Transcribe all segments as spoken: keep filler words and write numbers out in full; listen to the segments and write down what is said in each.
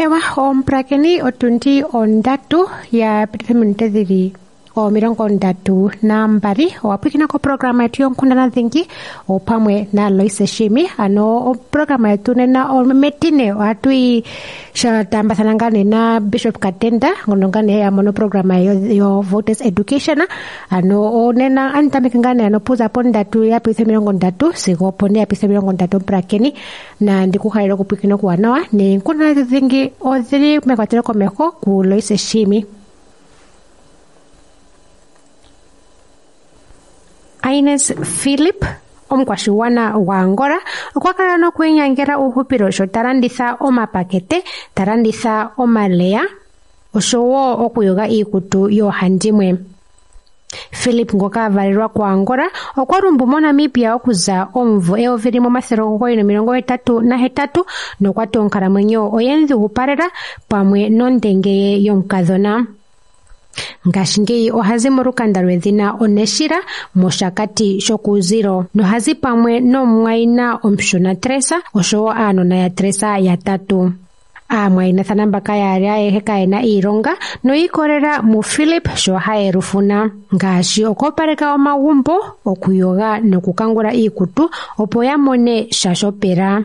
Ewa omupulakeni otundi ondatu ya pititha ominute dhili omilongo ndatu nambali owapwikina koprograma yetu yonkundana dhingi opamwe na Loise Shimi. Ano oprograma yetu nena metine ohatu yi tambathana ngaa nee na Bishop Katenda ngono ngaa nee ya mono programa yo, yo voters education. Ano nena anitameke ngaa nee ano puza pondatu ya pititha omilongo ndatu sigo opone ya pititha omilongo ndatu omupulakeni, na ndikuhalele okupwikina okuwanawa neenkundana dhingi odhili mekwatelo komeho ku Loise Shimi. Ines Philip omukwashigwana gwaAngola okwa kala nokwiinyangela uuhupilo sho ta landitha omapakete, ta landitha omaleya oshowo okuyoga iikutu yoohandimwe. Philip ngoka a valelwa kuAngola okwa lumbu moNamibia okuza omumvo eyovi limwe omathele omugoyi nomilongo hetatu nahetatu nokwa ti onkalamwenyo oye mu dhigupalela pamwe nondenge ye yomukadhona. Ngashingeyi ohazi molukanda lwedhina Oneshila mOshakati shokuuzilo nohazi pamwe nomumwayina omushona Tresa oshowo aanona ya Tresa yatatu. Aamwayinathana mbaka yaali ayehe kayena iilonga noyiikolela muPhilip sho haye lufuna ngaashi okwoopaleka omagumbo, okuyoga nokukangula iikutu opo ya mone sha shopela.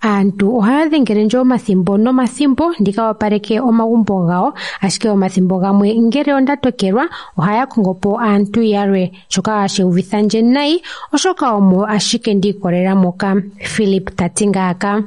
Aantu ohaya dhengele ndje omathimbo nomathimbo ndika opaleke omagumbo gawo, ashike omathimbo gamwe ngele onda tokelwa ohaya kongo po aantu yalwe, shoka hashi uvitha ndje nayi oshoka omo ashike ndiikolela moka, Philip ta ti ngaaka.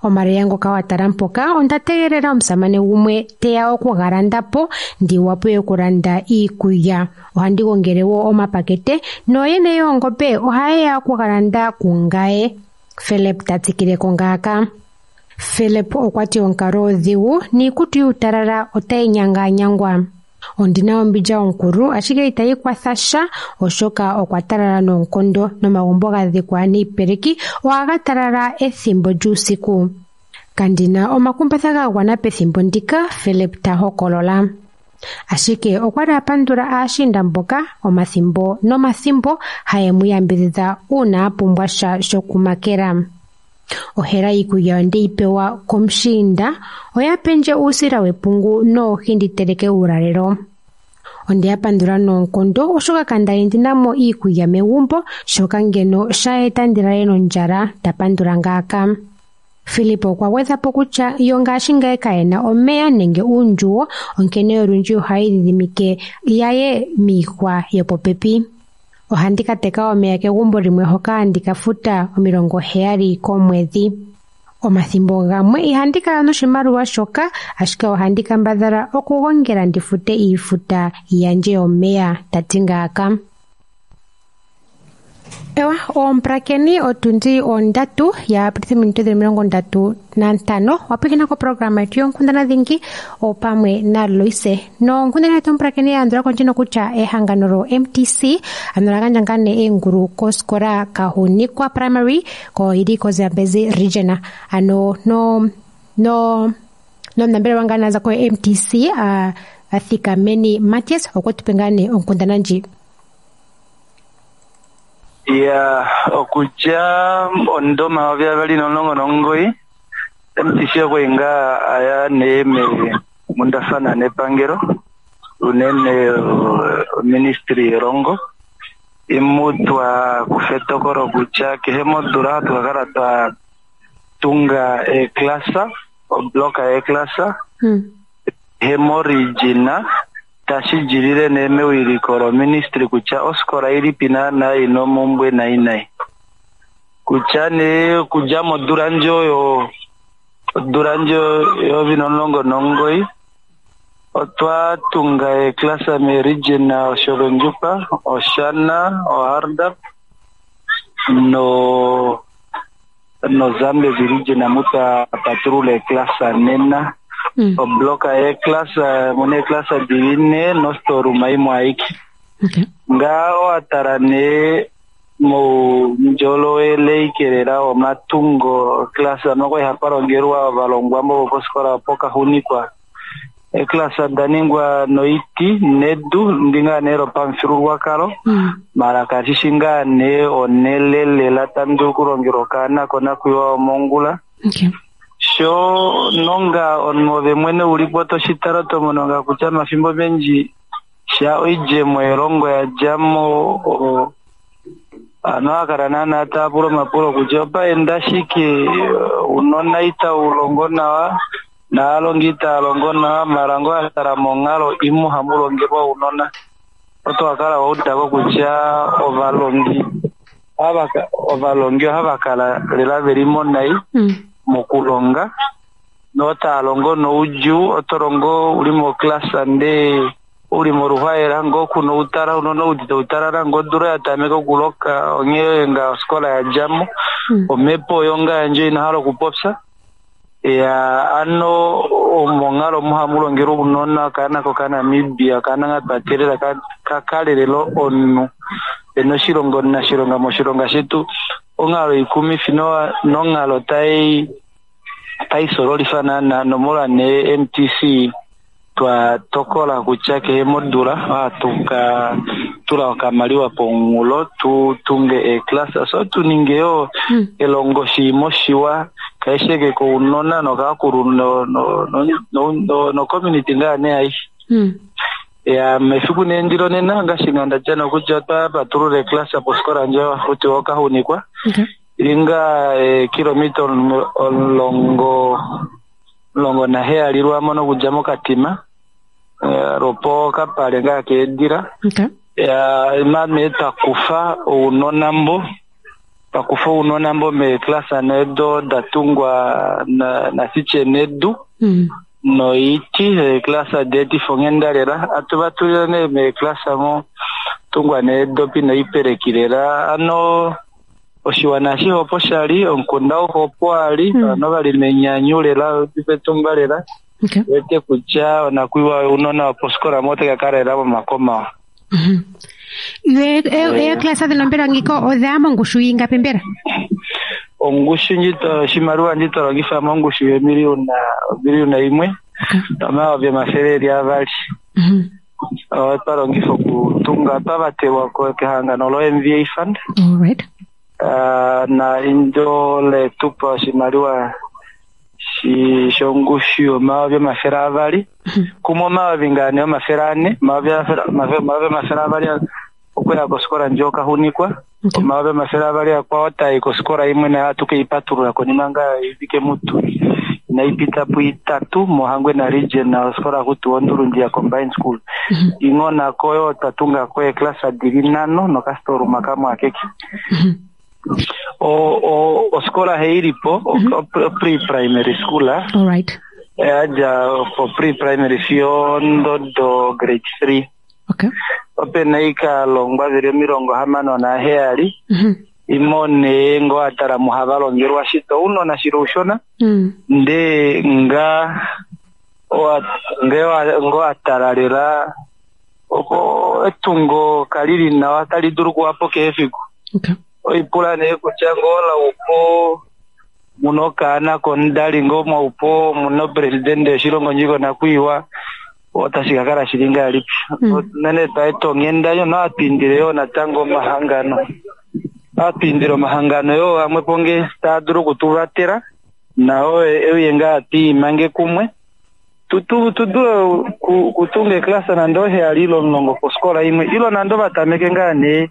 Omaleya ngoka wa tala mpoka onda tegelela omusamane gumwe teya oku ga landa po ndi wape okulanda iikulya. Ohandi gongele wo omapakete nooyene yoongombe ohaye ya oku ga landa kungaye, Philip ta tsikile ko ngaaka. Philip okwa ti onkalo odhigu niikutu yuutalala otayi nyanganyangwa. Ondina ombindja onkulu ashike itayi kwatha sha oshoka okwa talala noonkondo nomagumbo ga dhikwa niipeleki ohaga talala ethimbo lyuusiku. Kandina omakumbatha ga gwana pethimbo ndika, Philip ta hokolola. Ashike okwa li a pandula aashinda mboka omathimbo nomathimbo haye mu yambidhidha uuna a pumbwa sha shokumakela. Ohela iikulya onde yi pewa komushiinda, oya pendje uusila wepungu noohi ndi teleke uulalelo. Onde ya pandula noonkondo oshoka kandali ndina mo iikulya megumbo, shoka ngeno sha eta ndi lale nondjala, ta pandula ngaaka. Philip okwa gwedha po kutya yo ngashingeyi kayena omeya nenge uundjuwo, onkene olundji ohaya idhidhimike yaye miihwa yopopepi. Ohandi ka teka omeya kegumbo limwe hoka handi ka futa omilongo heyali komwedhi. Omathimbo gamwe ihandi kala noshimaliwa shoka, ashike ohandi kambadhala okugongela ndi fute iifuta yandje yomeya, ta ti ngaaka. Ewa omupulakeni otundi ondatu ya pititha ominute dhili omilongo ndatu nantano wapwikina koprograma yetu yonkundana dhingi opamwe na Loise. Nonkundana yetu omupulakeni ya andula kondjino kutya ehangano lo M T C ano la gandja ngaa nee eengulu kosikola Kahunikwa Primary ko ili koZambezi Region. Ano no no nomunambelewa ngaa naza ko M T C a Athikameni Matias okwe tu pe ngaa nee onkundana ndji. Ya okudja ondoma omayovi nomulongo nomugoyi M T C okwenga aya neeme mundafana nepangelo unene ministry yelongo imutwa kufetokolo kutya kehe modula twakala twa tunga eklasa obloka eklasa hmm. Hemorijina tashi jilile nemewiliko lo ministry kutya oskola ilipi naana ina omumbwe nayi nayi kutya ne kudja modula ndjo yo odula ndjo eyovi nomulongo nomugoyi otwa tunga eklasa meregion Otjozondjupa, Oshana, Ohardap no no Zambezi region mutwa patulula eklasa nena. Mm. Obloka eklasa mune eklasa diline no storeroom imwe ayike. Okay. Nga oatala ne mu njolowele ikelela omatungo klasa moko ihapalongelwa ovalongwa mo koskola pokahunikwa. Eklasa daningwa noiti nedu ndinga nero pamufyuululwakalo. Mm. Mara kashishi ngaa ne onelelela tamu dulu okulongelwa okaana konakuyiwa omongula. Okay. Sho nonga omunhu mwene ulipo toshitala tomononga kutya mafimbo menji sha oidjemo yelongo yadjamo ano akala naana taapula omapulo kutya opaenda shike unona itaulongo nawa naalongi itaalongo nawa mara ngo atala monghalo imwe hamu longelwa unona oto akala waudako kutya ovalongi ovalongi ohava kala lela veli monai mokulonga notaalongo noudjuu otolongo uli moklasa ndee uli moruhwaela ngo kuna utala unona udite utalala ngo odula yatameka okuloka onghee nga oskola yadjamo omhepo oyo nga yandje inahala okupopya ya ano omonghalo omo hamu longelwa ounona okaana kokaNamibia okaana nga twatelela kakalelelo omunhu ena oshilongo nashilonga moshilonga shetu onghalo ikumifi nonghalo tai tai sololifa naana nomolwa nee M T C twa tokola kutya kehe modula ohatu ka tula okamaliwa pomunghulo tu tunge eeklasa so tu ninge yo elongo shiimo shiwa kaisheke kounona nokakulu no no no no community ngaa nee aishe. Ya mefiku nee ndilo nena ngaashi nganda dja nokudja twa patulula eeklasa poskola ndjo kuti okahunikwa ilinga kilomita omulongo omulongo naheyali lwamono okudja mokatima lopo kapale ngaa keedila. Ya mame twakufa ounona mbo twakufa ounona mbo meeklasa nedo datungwa nasiche nedu noiti eeklasa deetifo onghenda lela atu vatulile nee meeklasa mo tungwa needopi noipeleki lela ano oshiwana ashihe opo shali omukunda auhe opo ali ovanhu vali menyanyu lela petumba lela wete kutya onakwiiwa ounona woposkola mo otaka kala lela momakomawa. Eeklasa dhino mbela ngiko odhaya mongushu yingapi mbela? Ongushu ndji oshimaliwa ndji twalongifa mongushu yomiliyona omiliyona imwe nomayovi omafele eli avali otwa longifa okutunga twavatelwa kehangano lo M V A Fund. Na indjo letupa oshimaliwa shongushu yomayovi omafele avali kumwe omayovi ngane omafele ane omayovi omafele avali okuya koskola ndjo okahunikwa omayovi omafele avali akwao tai koskola imwe nayo atu keipatulula konima nga ivike mutu inaipita puitatu moHangwena region na oskola kutu Ondulundi ya Combined School ing'ona koyo twatunga ko eeklasa dili nhano nokastoruma kamwe akeke. O o oskola heilipo pre-primary school. All right. Yadja for pre-primary fiyo ndodo grade three. Okay. Ope na ikalongwa vili omilongo hamano naheyali imone ngo atala muhava longelwa shito unona shilo ushona nde nga ngo atala lela opo etungo kalili nawa tali dulu kuwapo kehe efiku. Okay. Oipula nee kutya ngola upo muno okaana komudali ngomwa upo muno presidente yoshilongo ndjiko nakwiiwa otashi kakala shili ngahelipi. Unene twaeta onghenda yo noatwiindile yoo natango omahangano atwiindile omahangano yoo amwe po nge taa dulu okutuvatela nao euye ngaa twiimange kumwe tudule kutunga eklasa nande oheyali ile omulongo poskola imwe ilo nande ovatameke ngaa nee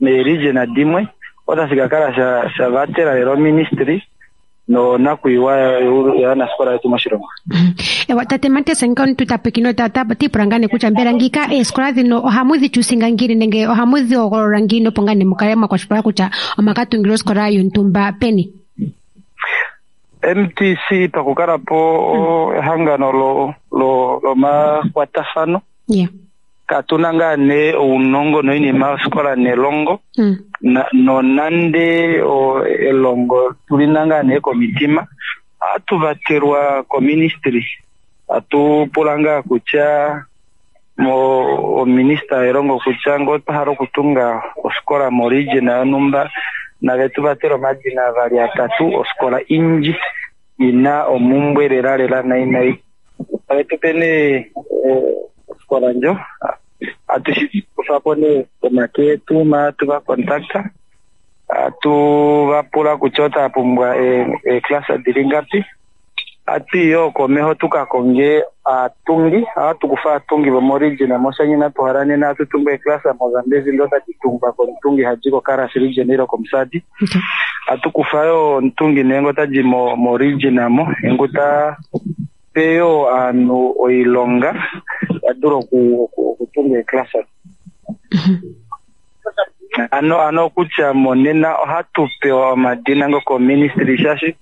meeregion dimwe otashi kakala sha vatela lela oministry nonakwiiwa yaanasikola yetu moshilongo. Ewa tate Matias nga omuntu tapwikino tipula ngaa nee kutya mbela ngika eesikola dhino ohamu dhi chusinga ngiini nenge ohamu dhi hogolola ngiini opo ngaa nee mukale mwakwashilipaleka kutya omakatungila osikola yontumba peni? M T C pakukala po ehangano lo lo lomakwatafano. Yeah. Katuna ngaa nee ounongo noinima yosikola nelongo nonande elongo tulina ngaa nee komitima ohatu vatelwa koministry atu pula ngaa kutya mo ominista yelongo kutya ngo otwa hala okutunga osikola moregion yontumba nave tu vatele omadina avali atatu osikola indji ina omumbwe lela lela nai nai ave tupe nee osikola ndjo atu shi kufapo nee komake etu ma atu va contacta atu vapula kutya otava pumbwa eeklasa dili ngapi Ati yo komeho tukakonge atungi atukufa atungi vomorijina moshanyina tuharane na atutunga eklasa mozambezi ndo tatitungwa komutungi hajiko Karas region ilo komusati. Okay. Atukufa yo ntungi nengo taji mo morijina mo engo ta peyo anu oilonga aduro ku kutunga eklasa. Ano ano kutya monena ohatu pewa omadina ngo ko ministry shashi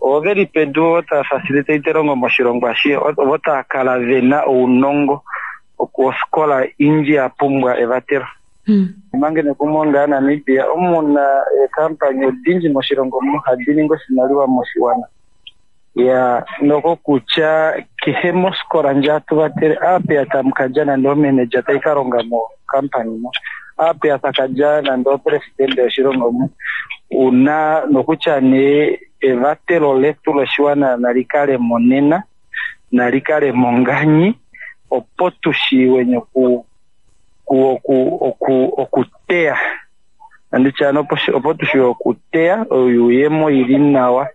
oveli pedu ta facilitate rongo moshilongo ashi ota kala vena ounongo okuskola inji ya pumbwa evatero. Mm. Mange nekumonga Namibia omuna e kampani odinji moshilongo mu hadiningo oshimaliwa moshiwana ya noko kutya kehe moskola nja tuvatere ape atamkaja nando manager taikaronga mo kampani mo ape atakaja nando president yoshilongo mu una nokutya ne evatelo letu loshiwana nalikale monena nalikale monganyi opo tushiwe nyoku ku oku oku okuteya andichano opo tushiwe okuteya oyuyemo ili nawa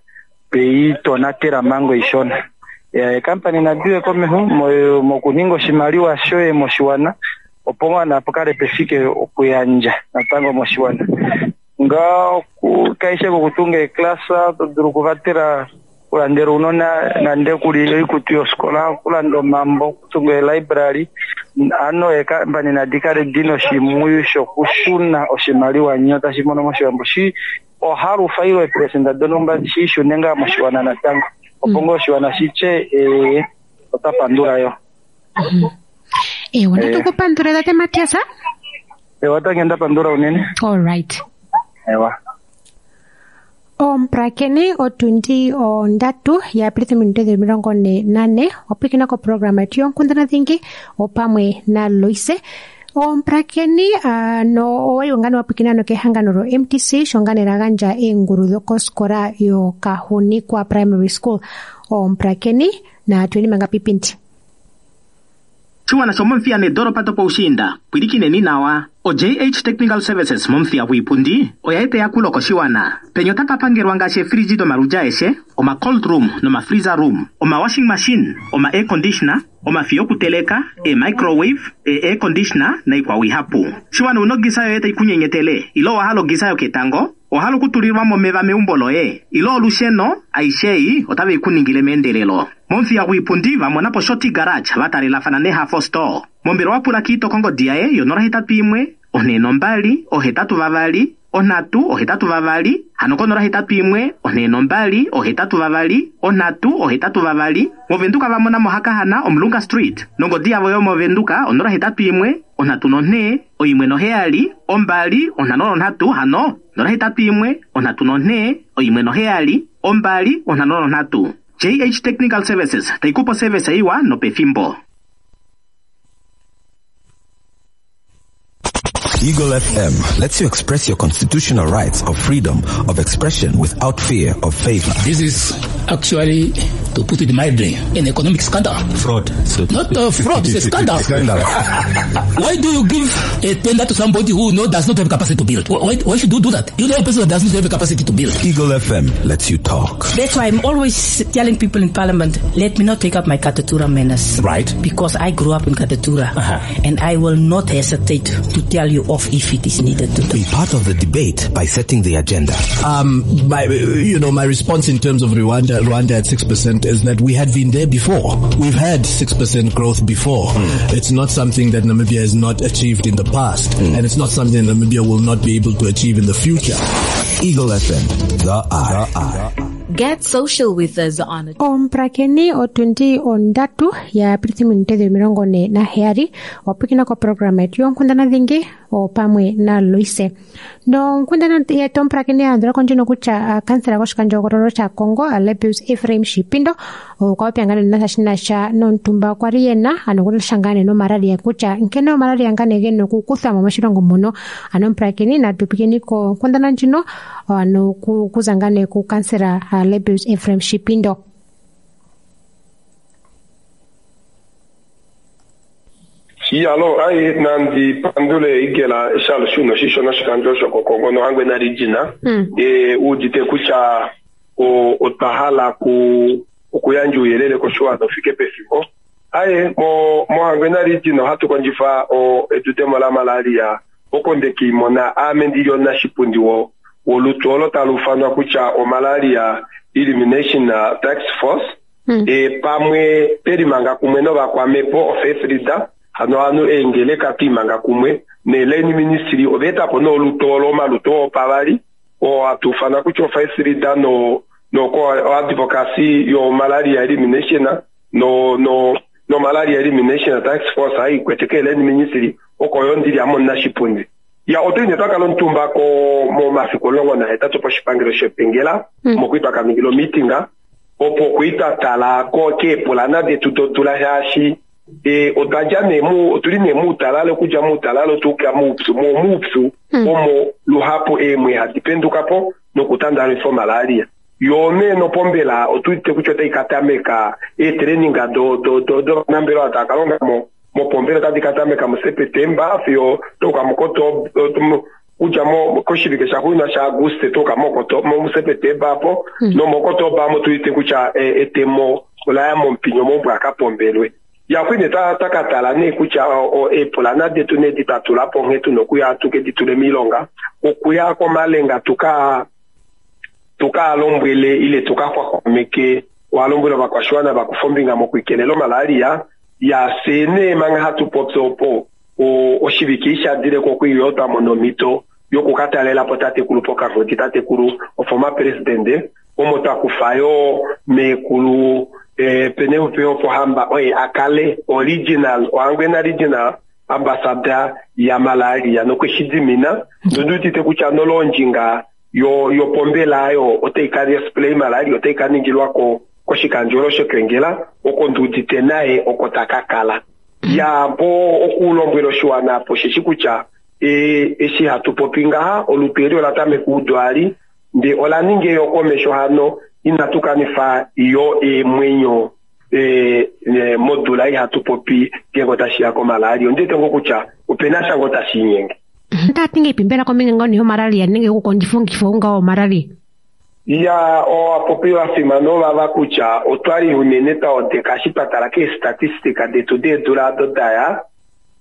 pei tonatela mango ishona ya kampani nadiwe komeho mokuninga oshimaliwa shoye moshiwana opo mwana apokale pefike okuyanja natango moshiwana nga kaishe kokutunga eklasa todulu kuvatela kulandela unona nande kuli oikutu yoskola kulanda omambo kutunga elibrary ano ekampani nadikale dina oshimuyu shokushuna oshimaliwa nyo tashi mono moshiwambo shi ohalufa ilo epresenta donumba shishune ngaa moshiwana natango opo ngoo oshiwana shitye ee otapandula yo. Ewa natukupandula tate Matias. Ewa tangenda pandula unene. All right. Ewa. Omprakeni otundi ondatu ya Aprili minute omilongo ne nane opikina ko programa yetu yonkundana dhingi opamwe na Loise. Omprakeni uh, no owali ngano wapikina no kehangano ro M T C shongane raganja enguru dhokoskola yo Kahunikwa Primary School. Omprakeni na tueni manga pipinti. Chiwana shomomfia ne doropa topo ushinda pwilikine ni nawa o J H Technical Services momfia huipundi oyaete yakulo koshiwana penyo takapangerwa ngaashi efriji domaluja eshe oma cold room noma freezer room oma washing machine oma air conditioner oma fiyo kuteleka e microwave e air conditioner na ikwa ihapu. Shiwana unogisa yoete ikunyenyetele ilo wahalo gisayo ketango ohalo kutulirwa momeva meumbo loye ilo olusheno aishei otave ikuningile meendelelo. Momfia huipundi vamonapo Shoti Garage vatalelafana nehafo store. Mombelo wapula kiito kongo diaye yonora hetatu imwe one nombali ohetatu vavali onhatu ohetatu vavali hano konora hetatu imwe one nombali ohetatu vavali onhatu ohetatu vavali. Movenduka vamona mohakahana Omulunga Street nongodi yavo yomovenduka onora hetatu imwe onhatu nonhe oimwe noheyali ombali onhano nonhatu hano nora hetatu imwe onhatu nonhe oimwe noheyali ombali onhano nonhatu. J H Technical Services taikupo service iwa nopefimbo. Eagle F M lets you express your constitutional rights of freedom of expression without fear of favor. This is actually, to put it mildly, an economic scandal. Fraud. So Not a fraud, it's a scandal. Scandal. Why do you give a tender to somebody who no, does not have capacity to build? Why, why should you do that? You know a person that does not have capacity to build. Eagle F M lets you talk. That's why I'm always telling people in Parliament, let me not take up my Katutura manners. Right. Because I grew up in Katutura. Uh-huh. And I will not hesitate to tell you off if it is needed to do. Be part of the debate by setting the agenda. Um, my, you know, my response in terms of Rwanda, Rwanda at six percent is that we had been there before. We've had six percent growth before. Mm. It's not something that Namibia has not achieved in the past, mm. and it's not something Namibia will not be able to achieve in the future. Eagle F M, the eye. The eye. Get social with us on Omprakeni otundi ondatu ya Aprili minute omilongo ne naheyali wapwikina ko programa yetu yonkundana dhingi opamwe na Loise. Nonkundana yetu omprakeni yalandula kondjino kutya kansela goshikandjohogololo shaKongo Lebbeus Ephraim Shipindo okwa popi ngane nasha shinasha nomutumba okwa li yena ano okulesha ngane nomalaria kutya nkene omalaria ngane gena okukuthwa mo moshilongo muno. Ano omprakeni natupikeni konkundana ndjino ano kuza ngane ku kansela Lebbeus Ephraim Shipindo. Alo, ai nandi pandule igela shalo shuno shishona shikandjo shokokongo nohangwe na rijina. E udite kutya o otahala ku okuyandja ouyelele koshiwana ufike pefimbo. Aye mo mOhangwena region ohatu kondjifa edudemo la malaria oko ndekimona ame ndili omunashipundi wo wolutu olo talu ufanwa kutya omalaria elimination task force. Mm. E pamwe pelimanga kumwe novakwamepo ofaith leader hano hano eengeleka twimanga kumwe neleni ministry oveetapo nolutu olo omalutu opavali oo hatu ufana kutya ofaith leader no no advocacy yo malaria elimination no no no malaria elimination task force haikwete keleni ministry oko yo ndili ame omunashipundi. Ya otwine twakala omutumba ko momafiku omulongo nahetatu poshipangelo shepengela mm. mokwii twakaningila omitinga opo kwiitatala ko keepulana detu dodula shaashi e otwadja nee mu otuli nee muutalale okudja muutalale otuuka muupyu mo muupyu mm. omo luhapu eemwe hadi pendukapo nokutandalifa omalaria. Yo nee nopombela otuwete kutya otai katameka eetraininga do do do dovanambelewa tava kalonga mo mopombela otadi katameka muSepetemba fiyo touka mukotoba kudja mo koshivike shaxuuninwa shaAguste touka muSepetemba apo mm. nomokotoba amo tuwete kutya etemo olaya momupinyo mombwa akapombelwe. Ya kwine takatala nee kutya eepulana detu nee di twatulapo nghee tuna okuya tuke di tule miilonga okuya komalenga tuka tukalombwele ile tukaxwaxwameke walombwele ovakwashiwana vakufa ombinga mokwikelela omalaria. Ya fye nee manga hatu popi opo oshivike ishadileko okwiiyo twamona omhito yokukatalelapo tatekulu pokangodi tatekulu oformer president omo twakufayo meekulu e, Penehupifo Pohamba oye akale original Ohangwena regional ambassador ya malaria nokweshidimina nondiwetite kutya nolondjinga yo yopombela ayo otai ka display malaria otai ka ningilwako koshikandjolo shokengela oko ndiudite naye oko takakala. Ya po okulombwela oshiwana apo sheshi kutya e, eshi hatu popi ngaha olutu eli ola tameka udwali nde ola ninga eyokomesho hano inatu kanifa yo eemwenyo e, e, modula ei hatu popi ngeenge otashiya komalaria. Ondiwete ngoo kutya opena sha ngoo tashi inyenge. Otati ngeipi mbela kombinga ngoo nee yomalaria nenge okukondjifa omukifi ou ngaho womalaria? Ya ovapopi vafimana ovava kutya otwali unene twaodeka eshi twatala keestatistika detu deedula ado daya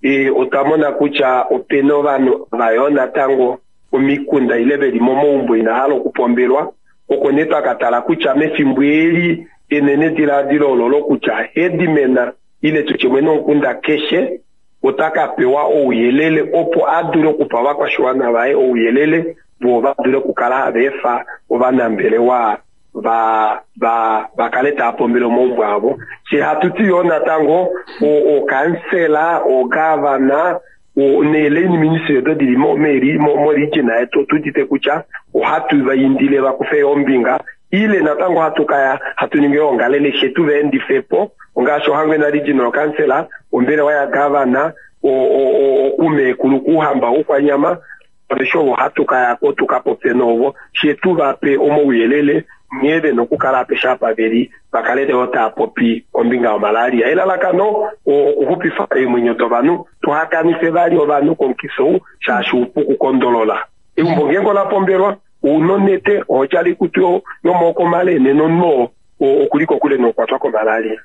e, otwa mona kutya opena ovanhu vayo natango omikunda ile veli momaumbo ina hala okupombelwa. Oko nee twakatala kutya mefimbo eli enene diladilo olo kutya headman ile tutye mwene womukunda keshe otaka pewa ouyelele opo adule okupa ovakwashiwana vaye ouyelele vo vadule okukala hava efa ovanambelewa va va vakale tava pombele omaumbo avo. She hatu ti yoo natango okansela ogavana neeleni ministry odo dili moregion yetu otuudite kutya ohatu vaindile vakufe ombinga ile natango hatu kaya hatu ningi ongalele shetu vaendifepo ongaashi Ohangwena regional council ombelewa ya gavana okumeekulu kuhamba oukwanyama aveshe ovo hatu kayako tukapopye novo shetu vape omauyelele nghee vena okukala apeshe apa veli vakale leo tava popi kombinga yomalaria. Elalakano okuxupifa eemwenyo dovanhu tuhakanife vali ovanhu komukifi ou shaashi upu okukondolola. Eumbo ngeenge ola pombelwa ouna onete ohodjala oikutu yomaoko male nena omunhu oo okuli kokule nokukwatwa komalaria.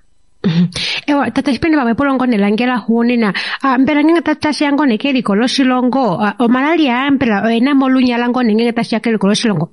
Ewa tata Shipindi pamwe pulongo nelangela xuunina mbela ngeenge tashiya ngoo nee keliko loshilongo omalaria mbela oyena mo olunyala ngoo nee ngeenge tashiya keliko loshilongo?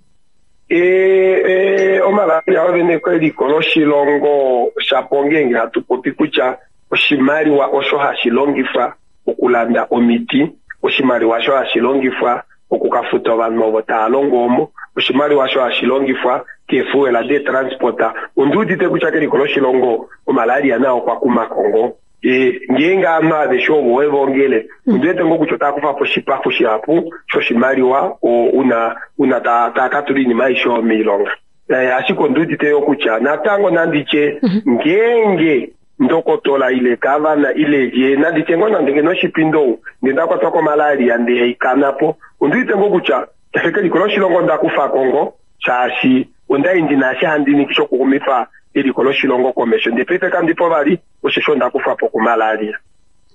E, e, omalaria ovene keliko loshilongo shapo ngeenge hatu popi kutya oshimaliwa osho hashi longifwa okulanda omiti, oshimaliwa osho hashi longifwa okukafuta ovanhu ovo tava longo omo, oshimaliwa osho hashi longifwa keefuwela deetransporta. Ondiudite kutya keliko loshilongo omalaria nao okwa kumako ngoo. E, ngeenge ovanhu aveshe ovo wevongele ondiwete ngoo kutya otava kufapo oshipaxu shihapu shoshimaliwa una una tava katula oinima aishe oyo moilonga. E, ashike ondiudite yoo kutya natango nanditye ngeenge ndokotola ile gavana ile lye nanditye ngoo nande ngeno Shipindo ou ndee ndakwatwa komalaria ndee haikanapo ondiwete ngoo kutya keliko loshilongo ndakufako ngoo shaashi ondai ndina eshi handi ningi shokuxumifa eliko loshilongo komesho ndee paife kandipo vali osheshi ondakufapo komalaria.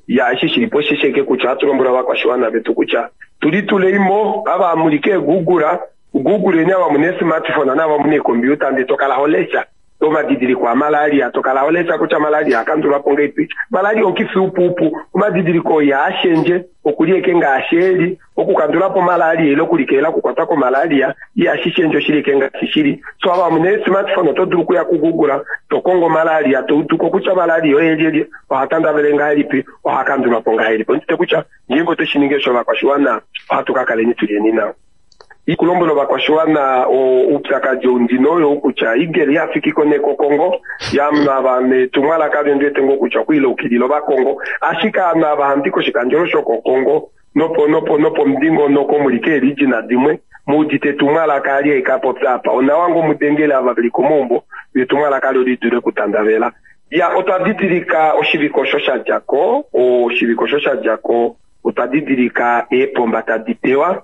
Ya eshi shilipo oshisheke kutya ohatu lombwele ovakwashiwana vetu kutya tulituleimo ava muli keegoogle googleni ava muna eesmartphone naava muna eecomputer ndee tokala holesha Omadidiliko amalaria tokala olesa kutya malaria akandulwapo ngeipi. Malaria omukifi upuupu, omadidiliko ihaashendje, okuli eke ngaashi eli, okukandulapo malaria ile okulikelela okukwatwa komalaria ihashi shendje oshili eke ngaashi shili. So ava muna smartphone oto dulu okuya kuGoogle to kongo malaria to uduko kutya malaria oyelyelye, oha tandavele ngahelipi, oha kandulwapo ngahelipi. Ondite kutya ngeenge otwe shi ningi osho ovakwashiwana ohatu ka kaleni tulyeni nawa. Ikulombwela ovakwashiwana oupyakadi oundino oyo kutya igeli yafikiko nekokongo yamuna ava netumwalaka lyondiwete ngoo kutya okwiilaukilila ovakongo, ashike ovanhu ava handi koshikandjolo shokokongo nopo nopo nopo mudingonoko muli keerijina dimwe muudite etumwalaka ali aikapopya apa onawa ngo mudengele ava veli komaumbo etumwalaka ali olidule okutandavela. Ya otwa didilika oshiviko osho sha djako, oshiviko osho sha djako otwa didilika eepomba tadi tewa.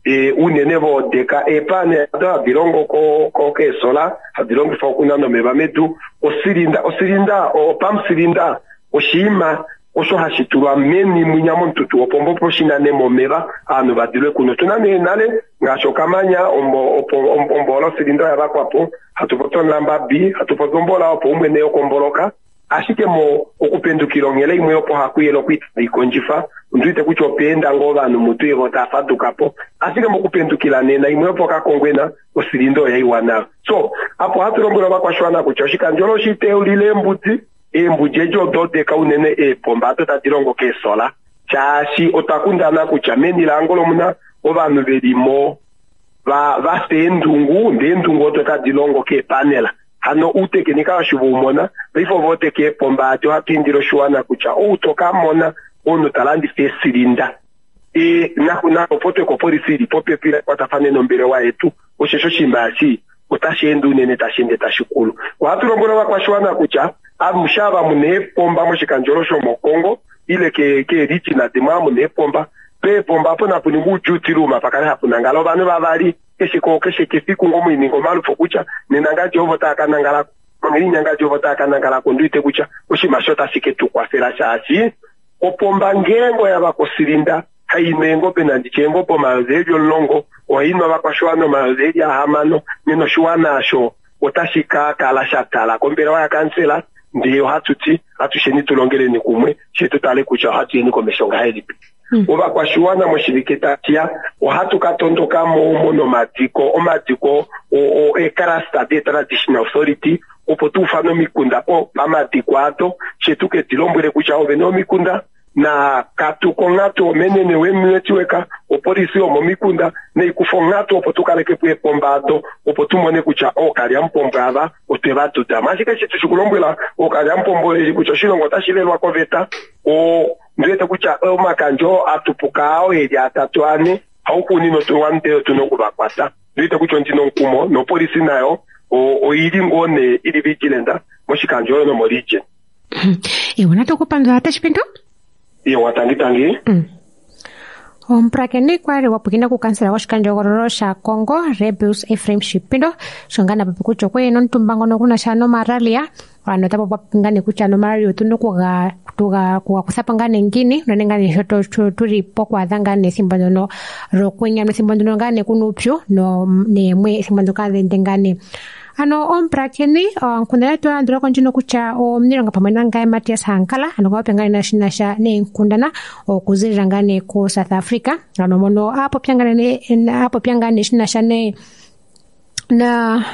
E, unene voodeka eepane ado hadi longo ko keesola hadi longifwa okunana omeva medu. Osilinda osilinda opamusilinda oshiima osho hashi tulwa meni mwinya momututu wopombo opo shinane momeva ovanhu vadilwe kuno. Otuna nee nale ngaashi okamanya ombola osilinda oya vakwapo, hatu popi omulamba B, hatu popi ombola opo umwene yokomboloka. Ashike mo okupendukila onghele imwe opo hakuyela okwiikondjifa ondiwete kutya opeenda ngoo ovanhu mutu evo tava fadukapo, ashike mokupendukila nena imwe opo kakongwena osilinda oya iwa nayo. So apo ohatu lombwele ovakwashiwana kutya oshikandjolo oshiteulile eembudi, eembudi edi odo odeka unene eepomba ado tadi longo keesola, shaashi otwa kundana kutya meni laAngola omuna ovanhu velimo va vafa eendungu, ndee eendungu odo tadi longo keepanela. Hano uutekinika oshivoumona paife ovo odeka eepomba adi ohatu indile oshiwana kutya ou to ka mona omunhu ta landifa eesilinda e nakupotwe kopolisi ili popepi kwatafane nombelewa yetu, osho oshinima eshi otashi ende unene tashi ende tashi kulu. Ohatu lombwele ovakwashiwana kutya amushe ava muna eepomba moshikandjolo shomokongo ile keerijina dimwe ava muna eepomba, peepomba apo napuningwa uuduty room pakale hapu nangala ovanhu vavali keshe keshe kefiku ngo muininga omalufo kutya nena ngadi ovo tava ka nangalako onghelinya ngadi ovo tava ka nangalako. Ondiwete kutya oshinima osho otashi ke tu kwafela shaashi opomba ngeenge oya vakosilinda hainwa eengobe nanditye eengobe omayovi eli omulongo ohainwa ovakwashiwana omayovi eli ahamano, nena oshiwana osho otashi ka kala sha tala kombelewa yakansela. Ndee ohatu ti atusheni tulongeleni kumwe she tu tale kutya ohatu yeni komesho ngahelipi. Ovakwashiwana moshivike tashiya ohatu ka tondoka mo nomadiko omadiko eecluster de-traditional authority opo tuufane omikunda pamadiko ado she tu ke di lombwele kutya ovene omikunda na katuka onghatu omenene wemunetiweka opolisi yomomikunda neikufa onghatu opo tukalekepo eepomba ado opo tumone kutya ookalyamupombo ava otwe va dudamo. Ashike eshi tushikulombwela ookalyamupombo eli kutya oshilongo otashi lelwa koveta, ndiwete kutya omakandjo atupuka ao eli atatu ane hauxuuninwa otuwanite otuna okuvakwata. Ndiwete kutya ondina omukumo nopolisi nayo oili ngoo nee ili vigilant moshikandjo oyo nomoregion. Ewa, natukupandula Tashipindo. Ewa, tangi tangi. Omupulakeni kwali wapwikina kukansela woshikandjohogololo shaKongo Rebius Ephraim Shipindo sho ngaa napopi kutya okwe nomutumba ngono kuna sha nomalaria ano ota popi ngaa nee kutya nomalaria otuna okuga kuga kuthapo ngaa nee ngiini unene ngaa nee sho tuli pokwaadha ngaa nee ethimbo ndono lokwenya nethimbo ndono ngaa nee kuna uupyu neemwe ethimbo ndoka hadhi ngaa nee. Ano omupulakeni onkundana yetu yalandulako ndjino kutya omuniilonga pamwe nangaye Matias Hankala ano okwa popya ngaa nee shinasha neenkundana okuzilila ngaa nee ko South Africa ano mono apopya ngaa nee apopya ngaa nee shinasha ne na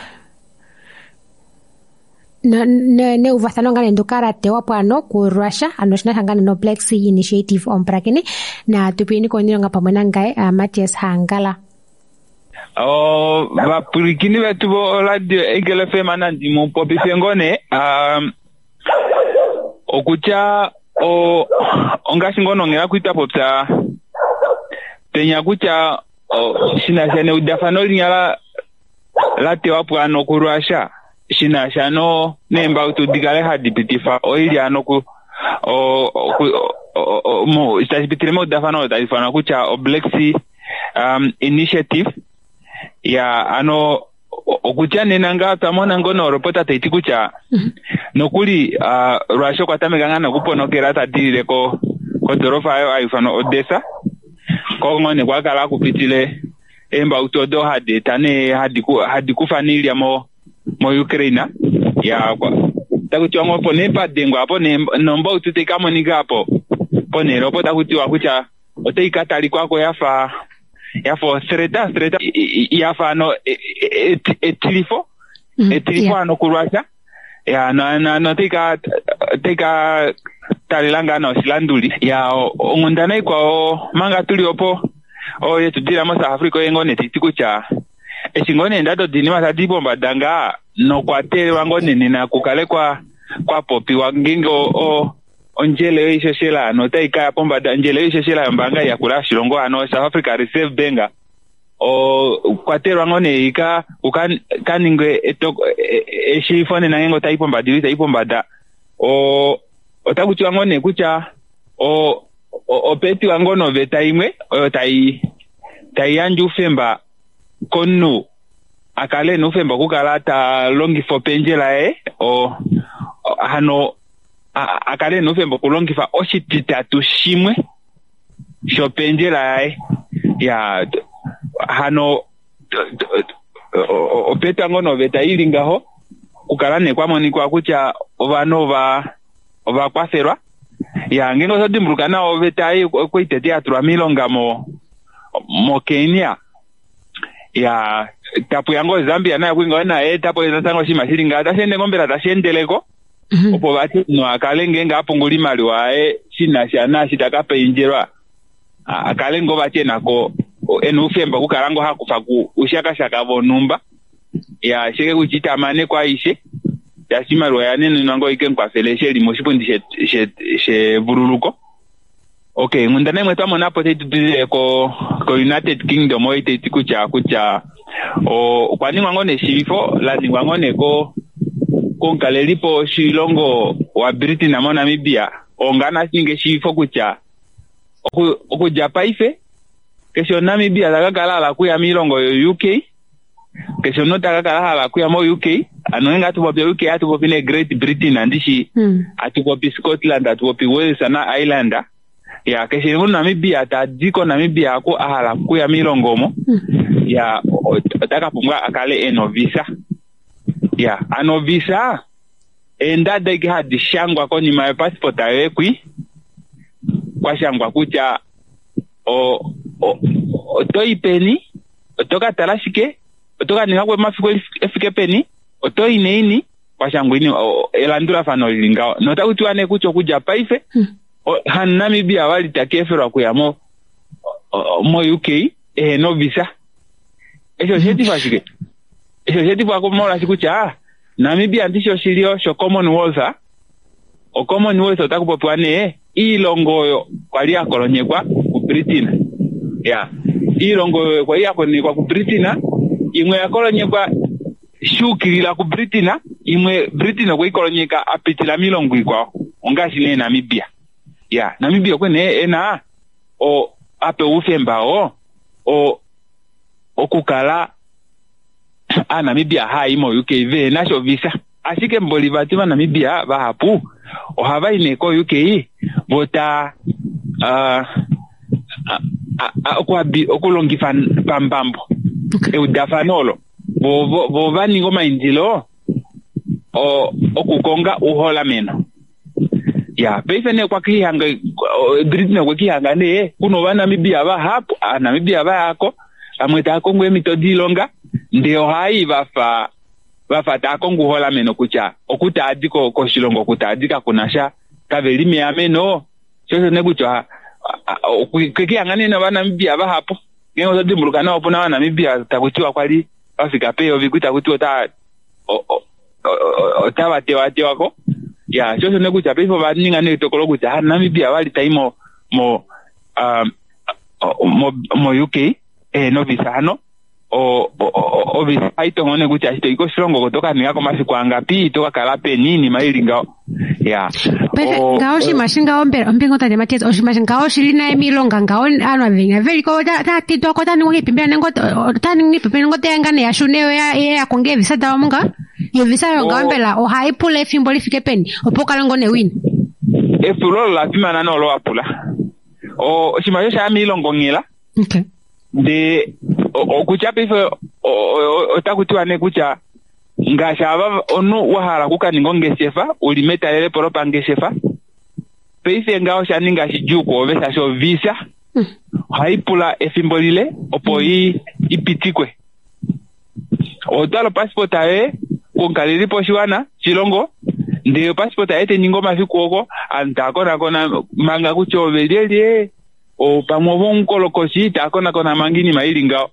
neuvathano ngaa nee ndoka la tewa po ano ku Russia ano shinasha ngaa nee no Black Sea Initiative. Omupulakeni na tupiyeni komuniilonga pamwe nangaye Matias Hankala. O vapwilikini vetu vo radio Eagle F M nandi mupopife ngone um, okutya o ongashi ngono ngela kuita popya penya kutya shinasha neudafano linya la tewa po ano ku Russia shinasha no neembautu dikale hadi pitifa oili ano ku o mo tashipitile meudafano tali ifanwa kutya o Black Sea um, Initiative ya ano okutya nena ngaa twamona ngono olopota taiti kutya nokuli uh, Russia okwa tameka ngaa nokuponokela tadilile ko kodorofa ayo ayifanwa Odessa kongone kwakala kupitile eembautu odo hadi eta nee hadi kufa niilya mo mo Ukraine. Ya taku tiwa ngo opo nee padengwa apo nombautu tai ka monika apo ponhele opo taku tiwa kutya otai ka talikwako yafa yafa threat threat yafa no etilifo etilifo ano kuRussia. Ya no no no tika tika talela ngaa noshilanduli. Ya onghundana ikwao manga tuli opo oyo tudila mo South Africa oye ngoo nee taiti kutya eshi ngoo nee ndado dinima tadi pombada ngaa nokwa teelelwa ngoo nee nena kukale kwa kwapopiwa ngeenge o ondjele yoishoshela ano otai kaya pombada. Ondjele yoishoshela yombaanga yakula yoshilongo ano South Africa Reserve Bank o kwatelwa ngoo nee ika ka ningwe eshiifo nena ngeenge otai pombada ile itai pombada. O otaku tiwa ngoo nee kutya o opetiwa ngoo noveta imwe oyo tai tai yandje oufemba komunhu akale ena oufemba okukala ta longifa opendjela yaye o hano akale ena oufemba okulongifa oshititatu shimwe shopendjela yaye. Ya hano opetwa ngoo noveta ili ngaho kukala nee kwamonikwa kutya ovanhu ova ovakwafelwa. Ya ngeenge oto dimbuluka nawa oveta ei okwali tete yatulwa miilonga mo mo Kenya. Ya tapuya ngoo Zambia nayo kwali ngoo naye tapo natango oshinima shili ngaho tashi ende ngoo mbela tashi endeleko opo vati omunhu akale ngeenge apungula oimaliwa yaye shinasha naashi taka pendjelwa akale ngoo vati enako ena oufemba okukala ngoo hakufa ushakashaka vonhumba. Ya sheke kutya itamaneko aishe tashi imaliwa yanenenwa ngoo ike mukwafele eshi eli moshipundi shevululuko. Okay, onghundana imwe twamona po tai tudilile ko ko United Kingdom oyo taiti kutya kutya okwa ningwa ngoo neshiivifo la ningwa ngoo nee ko komukalelipo woshilongo wa Britain moNamibia ongana ninga eshiivifo kutya okudja paife keshe omuNamibia taka kala hala okuya miilongo yo U K, keshe omunhu taka kala hala okuya mo U K, ano ngeenge hatu popi U K hatu popi nee Great Britain andishi hatu popi Scotland hatu popi Wales na Ireland. Ya keshe omuNamibia tadi koNamibia aku a hala okuya miilongo omo ya otaka pumbwa akale ena ovisa. Ya ano ovisa eendada ike hadi shangwa konima yopassport yoye kwi kwashangwa kutya o otoyi peni, oto ka tala shike, oto ka ninga mafiku efike peni, otoyi neini, kwashangwa ini elandulafano lili ngaho. Notaku tiwa nee kutya okudja paife haNamibia wali takeefelwa okuya mo mo U K ehena ovisa. Eshi osheetifwa shike? Eshi osheetifwa molwaashi kutya Namibia ndishi oshilyo sho Commonwealth. O Commonwealth otaku popiwa nee iilongo oyo kwali ya kolonyekwa kuBritain. Ya iilongo oyo kwali ya kolonyekwa kuBritain, imwe ya kolonyekwa shuukilila kuBritain, imwe Britain okwe ikolonyeka apitila miilongo ikwao ongaashi nee Namibia. Ya Namibia okwe nee ena o ape oufemba oo o okukala aNamibia haayi mo U K vehena sha ovisa. Ashike mboli vati vaNamibia vahapu ohava i nee ko U K vota okulongifa pambambo eudafano olo vo vo vaninga omaindilo okukonga uholameno. Ya paife nee kwakihanga Britain okwekihanga nee kuna ovaNamibia vahapu aNamibia vayako vamwe tava kongo eemhito diilonga ndee ohai vafa vafa tava kongo uholameno kutya okutaadi koshilongo okutaadi kakuna sha kaveli meameno. Shosho nee kutya kwekihanga nee novanamibia vahapu ngeenge oto dimbuluka nawa opuna ovanamibia taku tiwa kwali vafika peyovi taku tiwa ota otava tewatewako. Ya shosho nee kutya paife ova ninga nee etokolo kutya Namibia vali tai mo mo mo mo U K ehena ovisa hano o ovisa haitongo nee kutya eshi toyi koshilongo oko toka ninga komafiku angapi toka kala peni iinima ili ngaho. Ya paife ngaho oshinima shingaho mbela ombinga tate Matias oshinima shingaho oshili naye miilonga ngaho aanhu avenya veliko otaya tidwa ko otaya ningwa iipimbi nenge otaya ningi iipimbi nenge oteya ngaa nee yashune yo ya konge eevisa dawo mungaho. Yo visa oyo ngaho mbela ohai pula efimbo lifike peni opo ukale ngoo newina? Epulo olo la fimana nolo wapula. Oshinima osho shaya miilongo nghela. Ndee okutya paife otaku tiwa nee kutya Ngaashi ava omunhu wa hala okukaninga ongeshefa uli metalelepo lopangeshefa, paife ngaho osha ninga shidjuu kwoove shaashi ovisa ohai pula efimbo lile opo i ipitikwe. Otwala opassport yoye komukalelipo oshiwana shilongo, ndele opassport yoye tai ningi omafiku oko aantu taya konakona manga kutya ove lyelye, pamwe ove omukolokoshi, taya konakona manga iinima ili ngaho.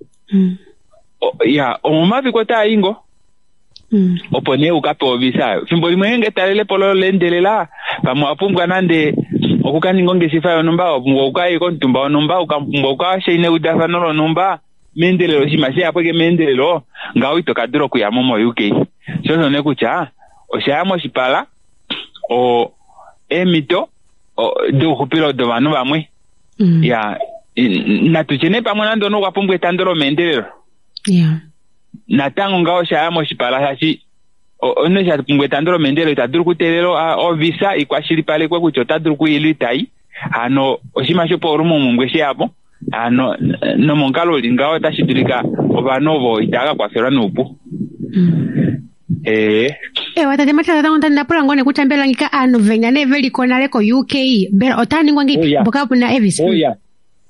Ya, omomafiku otaa yi ngo opo nee ukapewa ovisa. Fimbo limwe ngeenge etalelepo loye oleendelela, pamwe owa pumbwa nande okukaninga ongeshefa yonhumba, wa pumbwa okukaya komutumba wonhumba, ukapumbwa okukashaina eudafano lonhumba meendelelo, oshinima sheyapo ashike meendelelo, ngaho ito ka dula okuyamo mo-U K. Sho osho nee kutya oshaya moshipala o eemhito douxupilo dovanhu vamwe. Ya, natutye nee pamwe nande omunhu okwa pumbwa etando lomeendelelo. Natango ngaho oshaya moshipala shaashi omunhu eshi a pumbwa etando lomeendelelo ita dulu okuteelela ovisa ikwashilipalekwe kutya ota dulu okuyila itayi. Hano oshinima shopaulumomhumbwe sheyapo, hano nomomukalo uli ngaho otashi dulika ovanhu ovo itava ka kwafelwa noupu. Ee. Ewa tate Matias, natango ndapula ngoo nee kutya mbela ngika aanhu venya nee veliko nale ko U K, mbela otaa ningwa ngiipi mboka puna evisa? Oya.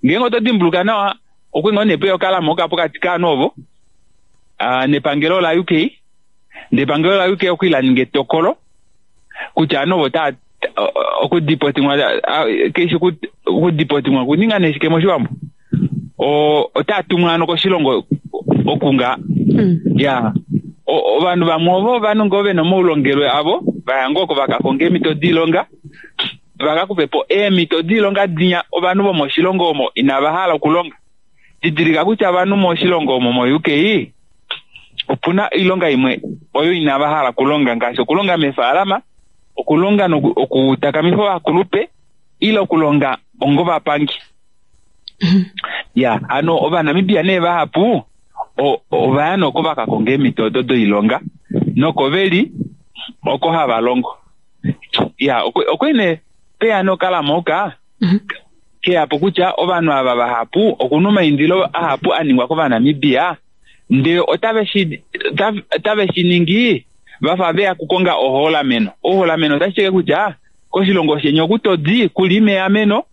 Ngeenge oto dimbuluka nawa, okwe ngoo nee peya okalamo pokati kaanhu ovo nepangelo la U K, nepangelo la U K okwi la ninga etokolo kutya aanhu ovo otaa okudipotingwa, keishi okudipotingwa okuninga nee shike moshiwambo, otaa tumwa ano koshilongo okunga. Ya, ovanhu vamwe ovo ovanhu ngoo vena omaulongelwe avo, vaya ngoo oko vakakonga eemhito doilonga, vakakufe po eemhito doilonga dinya ovanhu vomoshilongo omo inava hala okulonga. Didilika kutya ovanhu moshilongo omo mo U K opuna oilonga imwe oyo inava hala okulonga, ngaashi okulonga meefaalama, okulonga okutakamifa ovakulupe, ile okulonga ongovapangi. Ya, hano Ovanamibia nee vahapu ovaya noko vakakonga eemhito odo doilonga noko veli oko hava longo. Ya, okwe nee peya nokalamoka keyapo kutya ovanhu ava vahapu okuna omaindilo ahapu a ningwa kOvanamibia, ndele otave shi otave shi ningi vafa veya kukonga oholameno. Oholameno otashi teke kutya koshilongo sheni oku todi kuli meameno,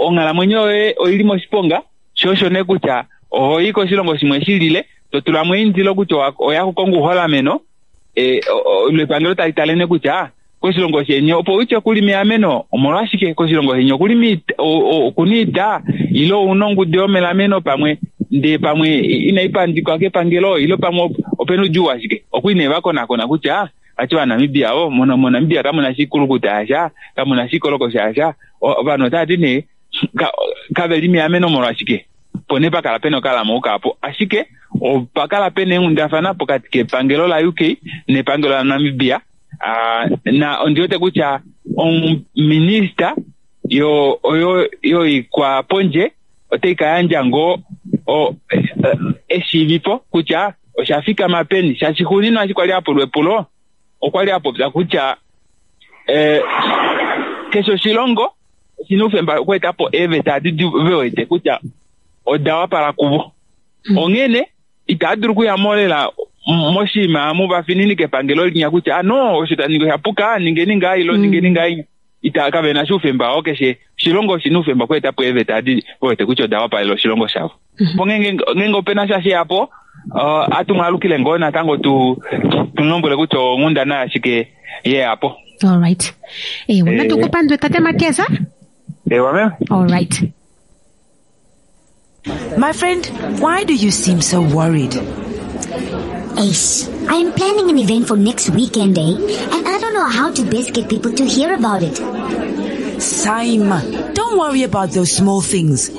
onghalamwenyo yoye oili moshiponga, sho osho nee kutya ohoyi koshilongo shimwe shilile to tulamo eindilo kutya oya kukonga uholameno, lepangelo tali tale nee kutya koshilongo sheni opo utye kuli meameno, omolwashike koshilongo sheni okuli okuna iita ile ouna ongudu yomelameno pamwe ndee pamwe inai pandikwa kepangelo ile pamwe opena oudjuu washike. Okwi nee vakonakona kutya vati Ovanamibia ovo moNamibia kamuna shikulukuta yasha, kamuna shikolokosha yasha, ovanhu otava ti nee kaveli meameno molwashike, opo nee pakala pena okalamo kaapo. Ashike opakala pena eenghundafana pokati kepangelo la U K nepangelo la Namibia. Na ondi wete kutya ominista yo oyo yoikwapondje otai ka yandja ngoo eshiivipo kutya osha fikama peni, shaashi xuuninwa eshi kwali apulwa epulo okwali apopya kutya keshe oshilongo oshina oufemba okweeta po eeveta adi ve wete kutya oda wapala kuvo. Onghene itava dulu okuya mo lela moshinima amu vafininike epangelo linya kutya ano osho taningi osha puka, ningeni ngaa ilo ningeni ngaa ita kavena shi oufemba oo. Keshe oshilongo oshina oufemba okweeta po eeveta adi ve wete kutya oda wapalela oshilongo shavo. Po ngeenge opena sha sheyapo, atu mwalukile ngoo natango tu mulombwele kutya onghundana yashike yeyapo. Alright. Ewa, natu kupandwe tate Matias. Ewa meme. Alright. My friend, why do you seem so worried? Ace, I am planning an event for next weekend, eh? And I don't know how to best get people to hear about it. Saima, don't worry about those small things.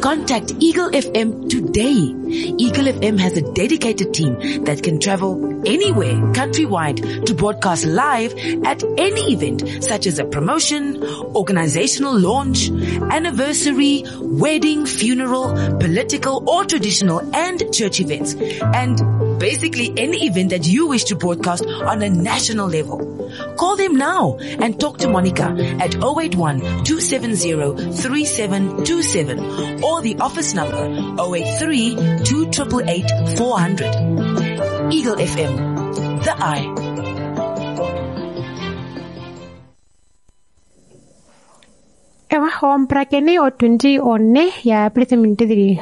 Contact Eagle F M today. Eagle F M has a dedicated team that can travel anywhere countrywide to broadcast live at any event, such as a promotion, organizational launch, anniversary, wedding, funeral, political or traditional and church events, and basically any event that you wish to broadcast on a national level. Call them now and talk to Monica at oh eight one, two seven zero, three seven two seven or the office number oh eight three, two triple eight, four hundred. Eagle F M, The Eye. Ewa ompulakeni otundi one ya pulitha dhili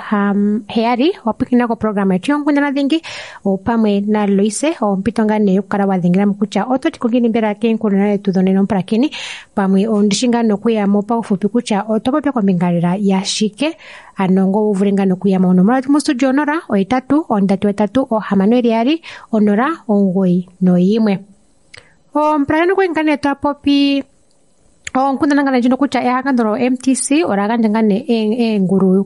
heyali wapwikina ko programa yetu yonkundana dhingi opamwe na Loise ompito ngaa nee yokukala wa dhengela mo kutya ototi kongini mbela keenkundana dhetu dhonena ompulakeni pamwe ondishi ngaa nokuyamo paufupi kutya otwa popya kombinga lela ya shike ano ngo wu vule ngaa nokuyamo. Onomola yetu mostudio onola ohetatu ondatu etatu ohamano eli yaali onola omugoyi noyimwe. Ompulakeni okwali ngaa nee twa popi onkundana ngane ndjino kutya ehangano lo M T C ola gandja ngane eengulu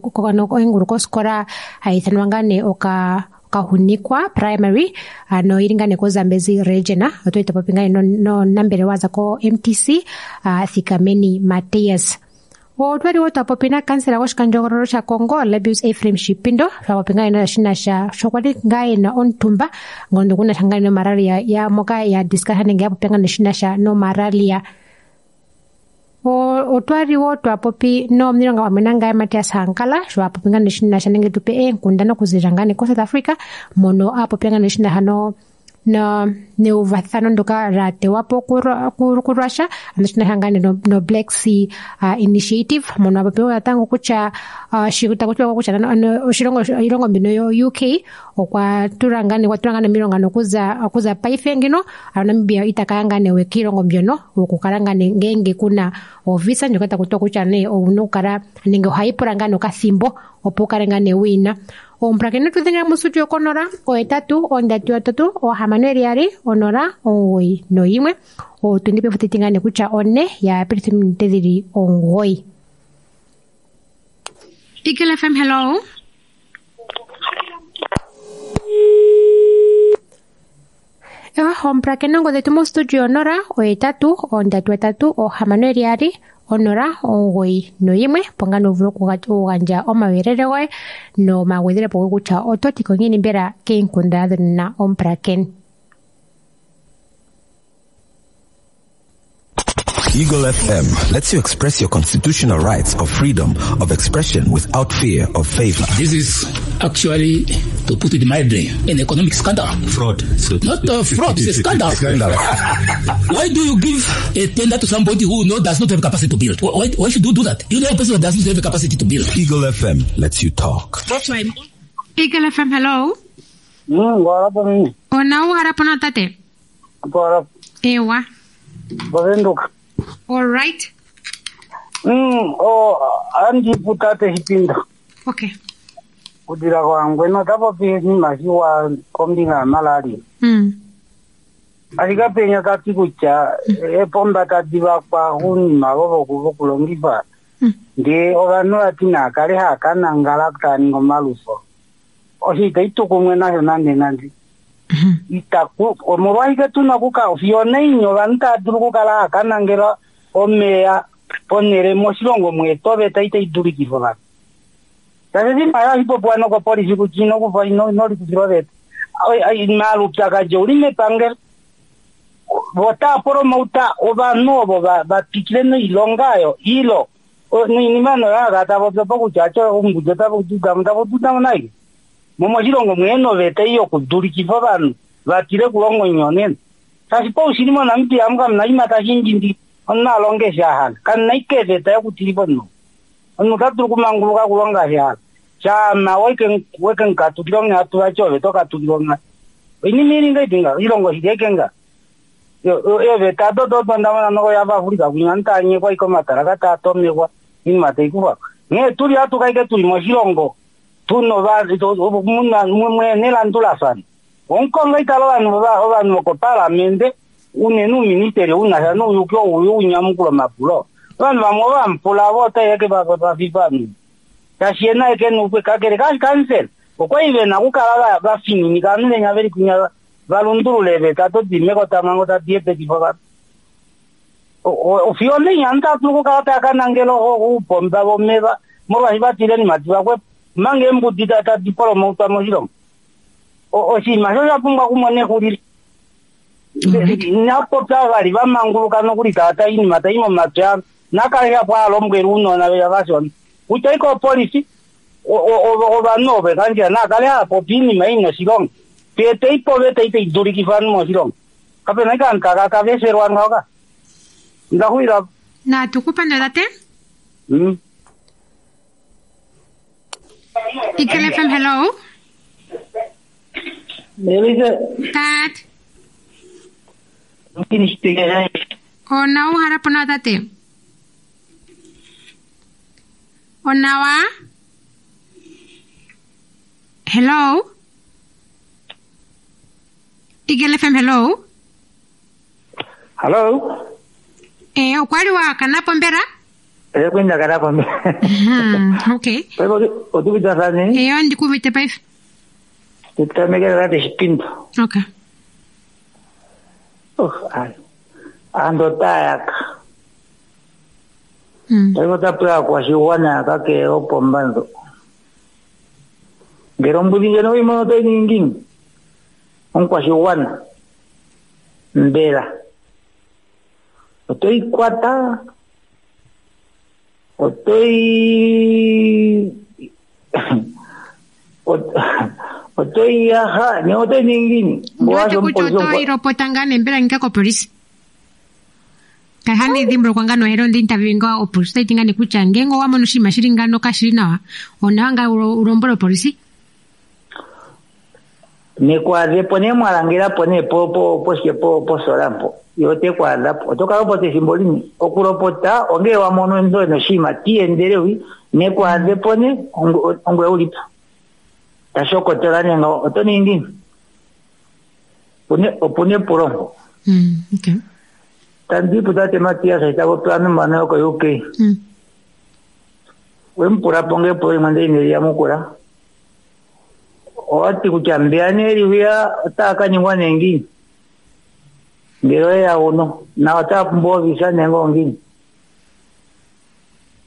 eengulu kosikola hayi ithanwa ngane oka Kahunikwa Primary ano ili ngane ko Zambezi Region. Otwa popi ngane no, no nambele waza ko M T C uh, Thikameni Matias. Otwali wo twapopi na kansela goshikandjogololo sha Kongo Lebius Ephraim Shipindo twapopi ngane na shinasha shokwali ngaye na ontumba ngondo kuna shangane no malaria ya moka ya discuss nenge ya popya ngane shinasha no malaria. Otwali wo twapopi no mnilonga pamwe nangaye Matias Hankala sho apopi ngane shinasha nenge tupe eenkundana okuzilila ngane ko South Africa mono apopya ngane shinasha no no neuvathano ndoka la tewapo ku Russia ano shinasha ngane no, no Black Sea uh, Initiative mono apopi natango kutya uh, shikutakuchiwa kutya ano oshilongo iilongo mbino yo U K okwa tula ngane okwa tula ngane miilonga nokuza okuza paife ngino ano Namibia itakaya ngane we kiilongo mbyono okukala ngane ngenge kuna ovisa ndjoka takutiwa kutya nee owuna okukala nenge ohayi pula ngane okathimbo opo ukale ngane wina. Ompulakeni tudhengela mostudio konola ohetatu ondatu yatatu ohamano eli yaali onola omugoyi noyimwe. Otundi pefutiti ngane kutya one ya pilitha ominute dhili omugoyi. Eagle F M, hello. Ewa ompulakeni ongodhi yetu mostudio onola ohetatu ondatu yatatu ohamano eli yaali onola omugoyi noyimwe opo ngaa nee uvule okugandja omauyelele goye nomagwedhelepo goye kutya ototi ko ngiini mbela keenkundana dhonena ompulakeni. Eagle F M lets you express your constitutional rights of freedom of expression without fear of favor. This is actually, to put it mildly, an economic scandal. Fraud. So Not a fraud, it's a scandal. Scandal. Why do you give a tender to somebody who no, does not have capacity to build? Why, why should you do that? You know a person that does not have the capacity to build. Eagle F M lets you talk. That's why. Eagle F M, hello. Mm, warapo. Ona uharapo na tate. Warapo. Ewa. Bavenduka. All right. Mm, oh, andi putate Shipinda. Okay. Kudira kwangu eno tapopi nimashiwa kombinga ya malaria. Mm. Ashikapenya tati kutya epomba tadi vakwa unima vovo vokulongifa. Mm. Ndi ovanhu vati nakale hakanangala kutaninga omalufo. Osho itukumwe nasho nande nande. Itaku omolwashike tuna okuka fiyo neinyi ovanhu tava dulu okukala hakanangela omeya ponhele moshilongo mwetu oveta itayi dulikifa ovanhu. Tashi imaliwa ohashi popiwa nokopolisi kutya inokufa inolikufila oveta. Maalupyakadhi ouli mepangelo. Otava promota ovanhu ovo va twikile noilonga oyo ilo noinima noyo tava popi kutya atyo ombudi otava dudamo nayi. Momoshilongo mwene oveta ei yokudulikifa ovanhu vatile okulonga oinyonena. Tashi paushili moNamibia amu kamuna ima tashi ndjindi omunhu alonge eshi ahala. Kamuna ike eveta yokutilifa omunhu. Omunhu ota dulu okumanguluka okulonga eshi ahala. Shama weke mukatukila onghatu vati ove tokatukila onghatu. Oinima ili ngaipi nga oilongo shili eke nga. Eveta dodo ndamona noko yavaAfrika kunya omunhu tanyekwa ike omatalaka taatomekwa oinima taikufa. Nghee tuli hatuka ike tuli moshilongo tuna nelandulafano. Omukongo itala ovanhu ovanhu vokopalamende unene uuministeli unasha nouyuki ouyu unyamukula omapulo. Ovanhu vamwe ovamupula vo otaiyeke vafifa tashi yena eke nupwe kakele kashi kansela okwali vena okukala vafininika ovanhu venya veli kunya valundulule eveta todime kotamango tadi epetifa ovanhu. Fiyo neinya omunhu tadulu okukala takanangela oupomba vomeva molwaashi vatile nimati vakwepo omanga eembudi tadi promotwa moshilongo. Oshinima sho osha pumbwa okumona exulilo. Napopya vali vamanguluka nokuli tava oinima tai momatwi avo nakale shapo alombwela ounona veya vashona kutya ike opolisi ovanhu ovo kandjila nakale haapopi oinima ina oshilonga. Tueteipo oveta itaidulikifa ovanhu moshilongo. Kapena ike ovanhu taka kaveselwa ngaho ka. Ndaxulila. Natu kupandula tate. Mm. Eagle F M, hello. Elise. Tat. Ona uhala po nawa tate. Onawa. Hello. Eagle F M, hello. Hello. Eh, okwali wa kanapo mbera? Eh, kwenda kanapo mbera. Hmm, okay. Kwa otuvita sani? Eh, ndikuvite paife. Tutamekera tate shipinto. Okay. Oh, ayo. Ando tayaka. Mm. Paife otapewa kwashiwana kake opombanzo. Ngele ombudhi ndjono weyi mono otoyi ningi ngiini? Omukwashiwana. Mbela. Otoyi kwata. Otoyi otoyi yaha ne otoyi ningi ngiini? Ndiwete kutya otoyi lopota ngaa nee mbela nginga kopolisi. Kahani dhimbulukwa ngaa nohela onda interview nga opolisi otayi ti ngaa nee kutya ngeenge owa mono oshinima shili ngano kashili nawa onawa ngaa ulombwele opolisi. Nekwaadhepo nee mwalangelapo nee po po poshike po posola mpo yo tekwaadhapo oto kalopota ethimbo lini okulopota ongele wa mono ndo noshinima tiendelewi nekwaadhepo ne ongwe ulipo tashokotola nee ngaho oto ningi ngiini? Opuna epulo mpo. Mm, okay. Tandipu tate Matias itapopewa ovanhu yoko U K. Mm. Wemupulapo nge epulo limwe ndele ineli yamukula. Owati kutya mbeya nee liuya otaa ka ningwa nee ngiini? Ngele oyeya uno na otaa pumbwa ovisa nenge ongiini?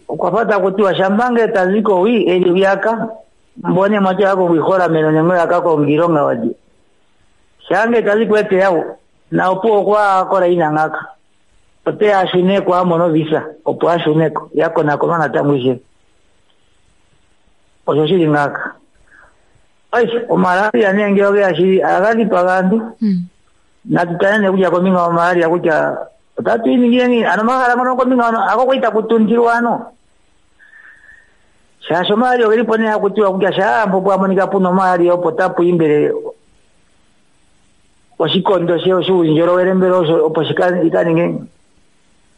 Okwa fa taku tiwa shampa ngele tazi kowi eliuyaka mbone mwati yako kwiholameno nenge yaka konga iilonga wadye. Shaa ngele tazi ko eteyawo na opo okwa kola ina ngaka. Oteya ashuneko amone ovisa opo ashuneko yakonakonwa natango ishewe. Osho shili ngaaka. Ai, omalaria nee ngele ogeya shili aga dhipaga aantu. Natu tale nee kutya kombinga yomalaria kutya otatu yi ningile ngiini? Ano omahala ngono kombinga hono ako kwali taku tuntilwa ano. Shaashi omalaria ogeli po nee haku tiwa kutya shaa mpo pwa monika puna omalaria opo tapu yi mbele oshikondo she shuundjolowele mbele osho opo shika ika ninge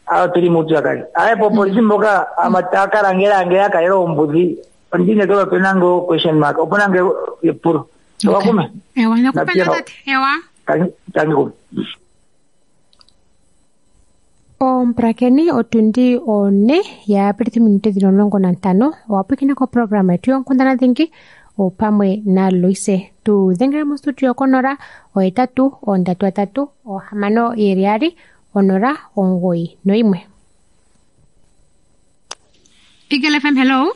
awo tuli muupyakadhi. Aye po polisi mboka ama taya ka langela ngele ya kalela oombudhi ondiinekelwa opena ngo question mark opuna nge epulo. Owakume? Ewa, nakupenda tate. Ewa. Tangi kume. Omupulakeni otundi one ya pitithi minute dhili omulongo nantano owa pwiikina koprograma yetu yonkundana dhingi opamwe na Loise. Tu dhengela mostudio konola ohetatu ondatu atatu ohamano yeli yaali onola omugoyi noyimwe. Eagle F M, hello.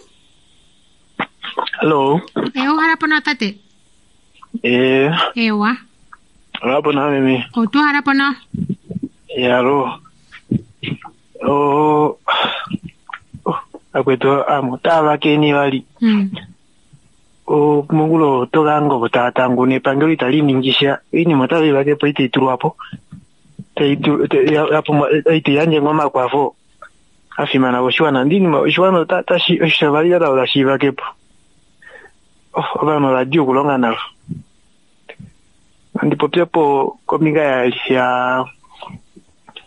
Hello. Ewa, uhala po nawa tate? Eh. Ewa. Uhala po nawa meme. Otu uhala po nawa. Yalo. Oh. Oh, akwetu amo tava keni vali. Mm. O mongulo togango tatangu nepangelo itali ningisha iinima otayi vakepo itayi tulwapo itayi yandje omakwafo a fimana koshiwana. Ndi iinima oshiwana otashi oshavali tashi vakepo. Ovanhu ovadi okulonga navo. Andi popyepo kombinga ya ya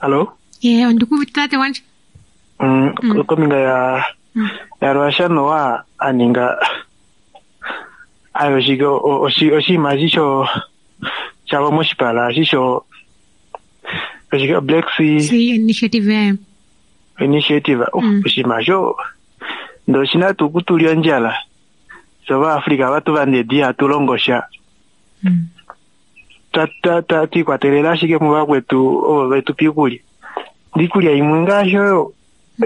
Hello? Eh, ondikuvite tate wandje. Mm, kombinga ya ya Russia noa aninga ayo shike oshinima shisho shava moshipala shisho oshike Black Sea Sea Initiative Initiative oshinima sho ndo oshina tuu kutulya ondjala so vaAfrica vatu vandedi hatu longo sha twiikwatelela ashike muvakwetu ovo vetupa iikulya. Iikulya imwe ngaashi oyo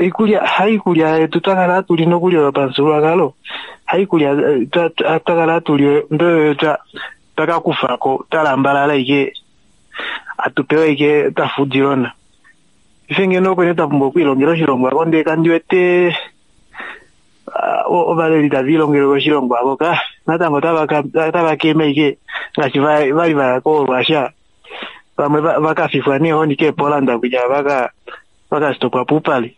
iikulya haikulya yetu twakala hatuli nokulya yopamuthigululwakalo haikulya twakala hatuli ndoyo twakakufako twalambalala ike atupewa ike twafudilona. Ife ngeno okwene twapumbwa okwiilongela oshilongo ako ndee kandi wete ovaleli tava ilongele koshilongo avo ka natango otava keme ike ngaashi vali vaya koRussia vamwe vakafifwa neehoni keePoland kutya vaka vakastopwa puupale.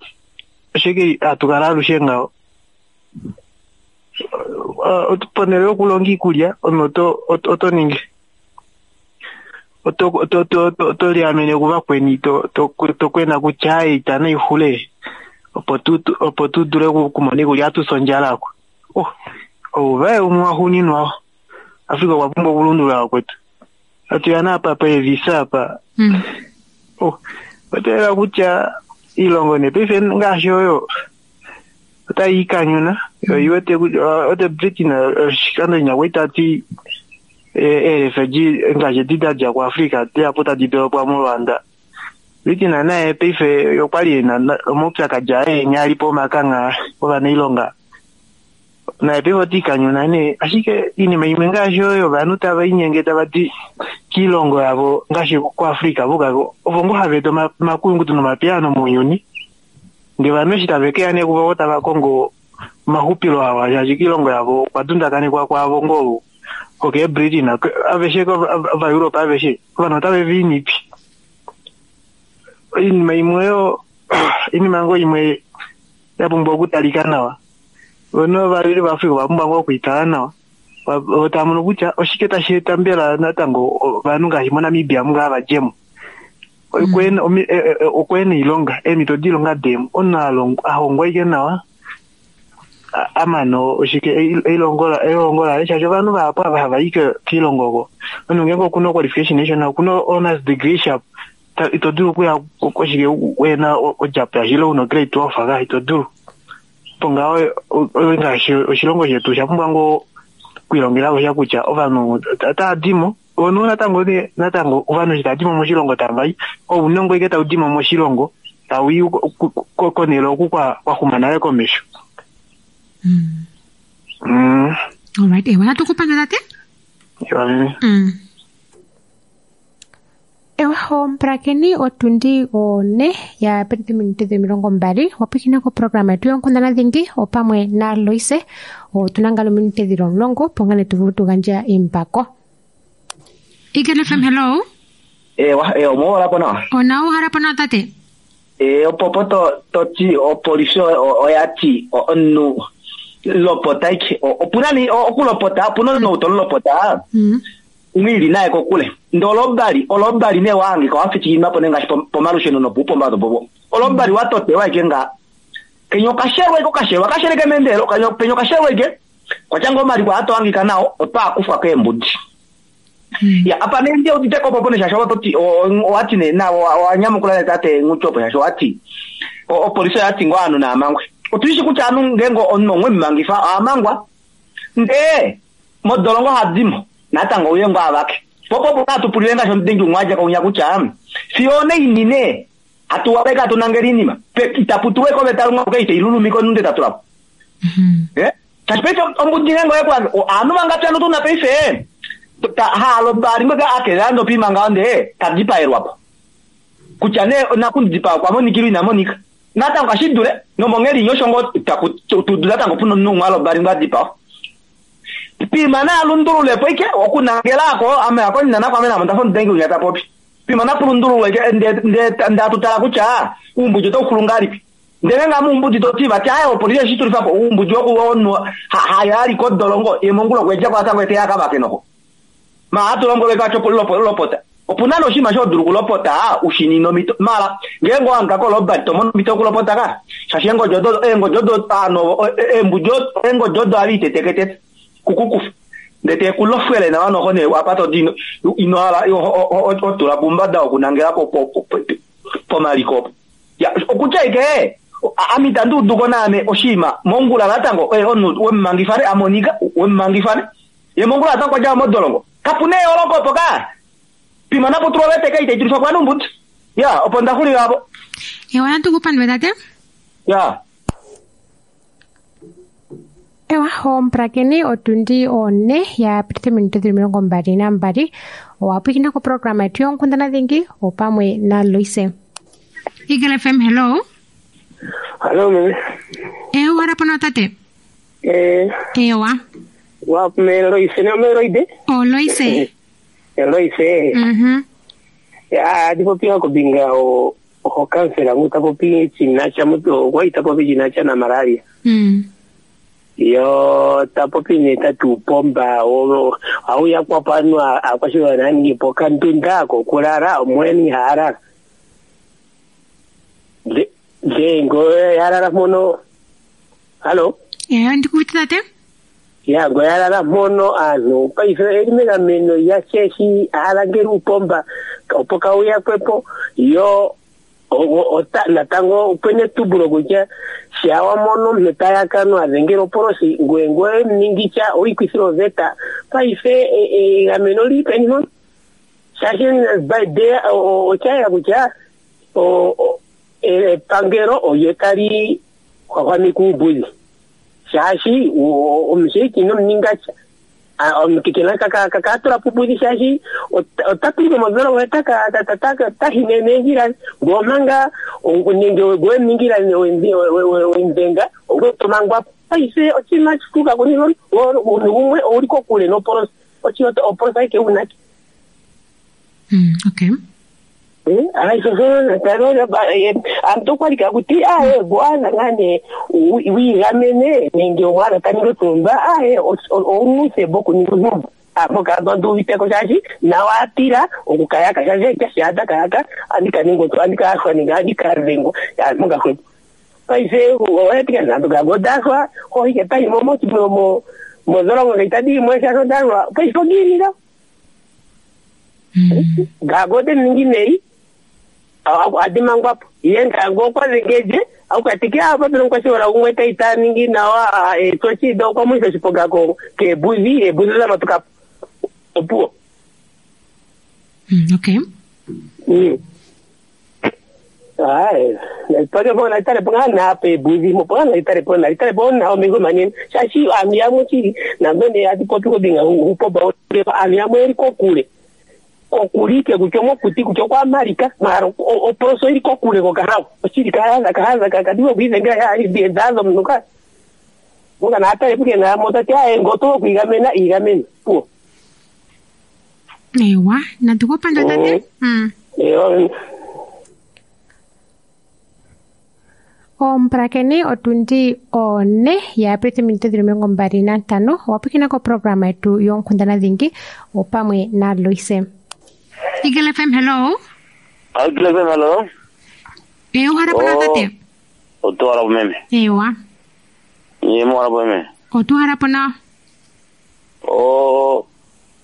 Oshike hatu kala alushe ngaho ponhele yokulonga iikulya omuntu oto ningi oto oto oto liamene kuvakweni to kwena kutya ayi itana ixule opo tu opo tu dule okumona iikulya atusa ondjala ako. Oh, ouvaye umwe waxuuninwa Afrika okwa pumbwa okulundulula kwetu. Atuya naapa peevisa apa. Oh, oteela kutya iilongo nee paife ngaashi oyo otayi ikanyuna oiwete kutya ote Britain oshikando nyakwe tati eerefugee ngaashi edi dadja kuAfrica dihapu tadi dolopwa moRwanda. Britain naye paife okwali ena omaupyakadi aye enya ali po omakangha ovanailonga naye paife otiikanyuna nee, ashike iinima imwe ngaashi oyo ovanhu tava inyenge tava di kiilongo yavo ngaashi kuAfrica vokako ovo ngo hava eta omakuyunguto nomapiyaano mounyuni. Ndee ovanhu eshi tave keya nee kuvo tava kongo omahupilo awa shaashi kiilongo yavo okwa dundakanekwa kwavo ngoo okeeBritain aveshe ovaEurope aveshe ovanhu otave viinipi. Oinima imwe oyo iinima ngoo imwe ya pumbwa okutalika nawa. Vona ovaleli vaAfrica ova pumbwa ngoo okwiitala nawa tava mono kutya oshike tashi eta mbela natango ovanhu ngaashi moNamibia munga vadjemo okweena oilonga eemhito doilonga demo omunhu ahongwa ashike nawa amana oshike elihongo laye shaashi ovanhu vahapu ava hava i kiilongo oko omunhu ngeenge okuna qualification ishona okuna honours degree sharp ito dulu okuya koshike wena odjapo yashilo una grade twelve ka ito dulu. Opo ngaho ngaashi oshilongo shetu osha pumbwa ngoo okwiilongela sha kutya ovanhu otava dimo ono natango natango ovanhu eshi tava dimo moshilongo tava i ounongo ike tau dimo moshilongo tau i konhele oku kwaxuma nale komesho. Mm. Alright, ewa natukupanda tate? Ewa meme. Mm. Ewa omupulakeni otundi one ya peti minute dhomilongo mbali wapwikina koprograma yetu yonkundana dhingi opamwe na Loise. Otuna ngalo minute dhili omulongo opo ngane tuvulu tugandja embako. Eagle F M, hello. Ewa, ewa, omuholapo nawa. Ona uhalapo nawa tate? E, opo to toti opolisi oyati omunhu lopota ike opuna ni okulopota opuna omunhu tolopota umwili naye kokule ndo olobali olobali ne wange kwafitikima po nengashi pomalusheno nopuupomba topopo olobali watotewa ike nga kenyo kashelwa iko kashelwa kasheleke mendelo kanyo penyo kashelwa ike kwachanga omaliko atoangika nao otwakufwa keembudi. Ya apa nende utiteko popo neshasho watoti owati ne na wanyamukula tate nguchopo shasho wati opolisi yati ngo anu na amangwe otuishi kutya anu ngengo omunhu mmangifa amangwa nde modolongo hadimo natango uye ngo avake popo popo atupulile ngasho ndengi umwaja kaunya kutya sione inine atuwabeka atunangeli inima itaputuwe ko betalunga keite ilulumiko nunde tatulapo. Eh tashpecho ombudi ngengo yekwa anu mangapya tuna peife ta halo bari mga akelando pima ngande tadipaelwa kutya ne nakundipa kwa monikiru ina monika natango kashidule nomongeli nyoshongo takutudula tango puno nungwalo bari ngadipa pima na lundulule poike okunangelako ame akonina nako amena mntafo ndengi unyata popi pima na kulundulule ke nde nde ndatutala kutya umbujo tokulungalipi ndele nga mumbuji totiva ti ayo polisi shitulifa po umbujo okuwonwa hayali kodolongo emongulo kweja kwatango ete yakabake noko ma atulongole kacho lopota opuna noshima shodulu kulopota ushinino mito mala ngengo anga koloba tomono mito kulopota ka shashi engo jodo engo jodo ano embujo engo jodo ali tetekete kukukufu ndete kulofwele na wano hone apato dino ino ala otula bumbada okunangela po po po maliko ya okutya ike amita nduduko name oshima mongula natango eh onu wemmangifare amonika wemmangifare ye mongula atango kwaja modolongo kapune oloko poka pima napo tulowete kaite itulifa kwa numbuti ya opo ndakhulila apo Ewa natukupandwe tate? Ya Ewa omupulakeni otundi one ya pititha minute dhili omilongo mbali nambali owapwikina koprograma yetu yonkundana dhingi opamwe na Loise. Eagle F M, hello. Hello meme. Ewa uhalapo nawa tate? Eh. Ewa. Wa me Loise no me Loide? O Loise. Loise. Mhm. Ya adipopi kombinga o o kansela ngutapopi chinacha mutu okwa itapopi chinacha na malaria. Mm. Yo tapopi ne tatu pomba o au ya kwa pano akwashiwa nani po kandunda ko kulala omweni harara. De de ngo yarara mono. Hello. Eh ndikuti tate? Ya ngo yarara mono anu paife elimela meno ya cheshi alangeri upomba opo kauya kwepo yo ota natango upene tubulo kutya shawa mono mmetayakano adhengera oporosi ngwengwe mningicha oikwisira oveta paife egameno lipeni mono shashi by day ochayela kutya epangelo olyo tali hwahwamika uumbudhi shaashi omusheiki nomuningacha omukekela kakatula pumbudhi shaashi otapilike modholongo tahine meendjila ngomanga nenge gwemuningila wemudhenga ogwetomangwa paife oshinima shituka kunino gumwe ouli kokule noporosi oporosi aike unake. Okay. Antu okwalika kuti aye bwana ngane wiigamene nenge omwana taningi otumba aye ounusebo okuninga ontumba apo antu uviteko shaashi nawa atila okukayaka shaashi kashaata kayaka andikaninga andikashwa nenge andikadhengwa mongahwepo paife oyatika nantu gagodashwa hoike taimo modholongo ngaitadiimwe shaashi odalwa paife ogiilila gagode ningi nei adimangwapo iye ngango okwadhengeje aukatike apa peno kwashiwala umwe taita ningi nawa etochida okwamwisa oshiponga kebuzi ebuzi zamatukapo opuwo. Okay. Aye, nalipake nalitale po nga napa ebuzi mo po nalitale po nalitale po na omengo manene shashi ami yamwe chili nambene atipopi kobinga upoba ami yamwe eri kokule okulike kutya mokuti kutya kwamalika mara oporoso ili kokule kokahawa oshili kahaza kahaza kakadiwa kuizengera edhazo mnuka muka naatale puke namota ti aye ngoto okuigamena igamena puo. Ewa natukupanda tate. Mm. Ewa. Omupulakeni otundi one ya pita ominute dhili omilongo mbali nantano owapwikina koprograma yetu yonkundana dhingi opamwe na Loise. Eagle F M, hello. Eagle F M, hello. Eh, uhara pona tate. Otuhara po meme. Ewa. Ye mo po meme. Otuhara pona. O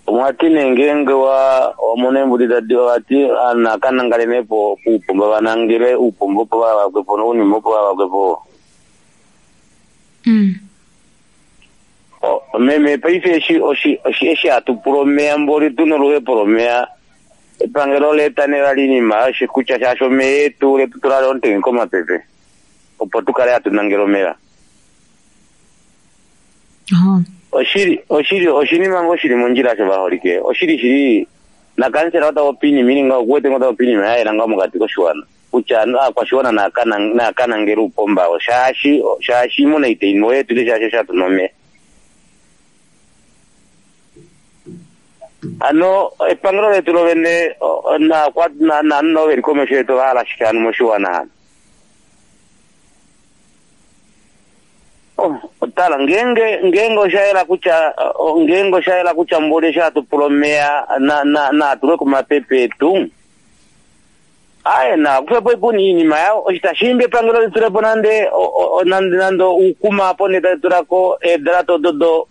mwatine ngenge wa omunembu tadi wati ana kanangale nepo upomba vanangile upombo po vakwepo no unimo po vakwepo. Mm. O meme paife eshi oshi oshi eshi atupuro meambori tuno luhepo mea epangelo letanela linima oshikutya shasho meyetu letutulale ontenge komapepe opo tukale hatunangela omeya. Oshili oshili oshinima ngo shili mondjila sho vaholike oshili shili na kansela ota opini mininga okuwete ngo ta opini mayayela nga mokati koshiwana kutya aakwashiwana naakanangela uupomba shaashi shaashi imuna iteimo yetu ile shaashi shatuna omeya. Ano epangelo letu lovene na kwa na na no veli komesho yetu vahala shikanu moshiwana hano. Oh, otala ngenge ngenge oshaela kutya ngenge oshaela kutya mbole shatupula omeya na na na tulwe komapepe etu. Aye na kupepo ipuni iinima yawo oshitashimbi epangelo litulepo nande nande nando uukuma apo netatulako eedalato dodo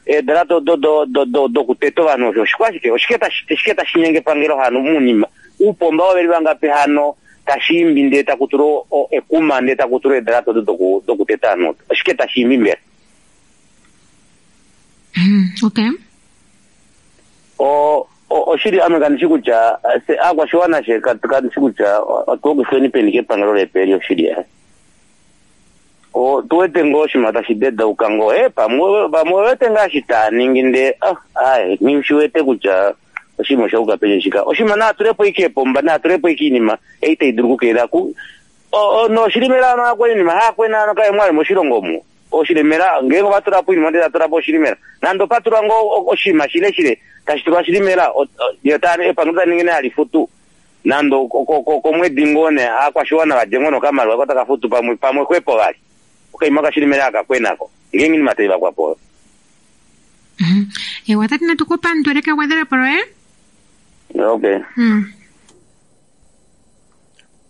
eedalato dodo dodo dokuteta ovanhu osho oshikwashike oshike tashi tashinyenge epangelo hano munima uupomba waveli vangapi hano tashimbi ndee takutula ekuma ndee takutula eedalato dodo dokuteta ovanhu oshike tashimbi mbela. Okay. O oshili ame kandishi kutya aakwashiwana she kandishi kutya otuokifweni peni kepangelo lepeli oshili ya o tuwete ngo oshima tashi dedauka ngo e pamwe pamwe wete ngaashi taaningi nde ah aye nishiwete kutya oshima oshauka peni shika oshima naatulepo ike epomba naatulepo ike iinima ei tayi dulu okukeela ku noshili melano akweni inima haakwena ano kaye mwali moshilongo omu oshilemela ngeenge ovatula po oinima ndele tatula po oshilimela nande opatulwa ngoo oshinima shile shile tashi tulwa shilimela epangelo taningi ne halifutu nande komwedi ngoo ne aakwashiwana vadje ngoo nokamaliwa ko taka futu pamwe pamwe xwepo vali okaima kashilimela akakwenako ngeenge inima taivakwapo oyo. Ewa tati natukupandule kegwedhelepo loye. Okay.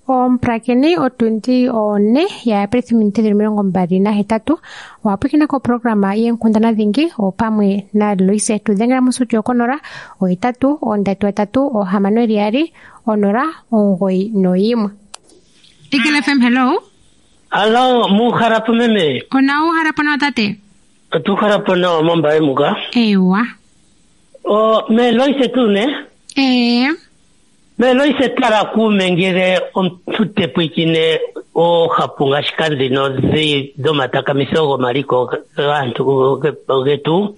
Omupulakeni otundi one ya pethimbo omilongo mbali nahetatu owapwikina koprograma yeenkundana dhingi opamwe na Loise. Tudhengela mostudio konola ohetatu ondatu atatu ohamano eli yaali onola omugoyi noyimwe. Eagle F M, hello. Hello, muharapo meme. Ona uharapo nawa tate? Otuharapo nawa mombaye muka. Ewa. O, me Loise tu ne? Ee. Me Loise tala kuume ngele omuntu te pwikine oohapu ngashika ndhino dhomatakamiso gomaliko gaantu getu.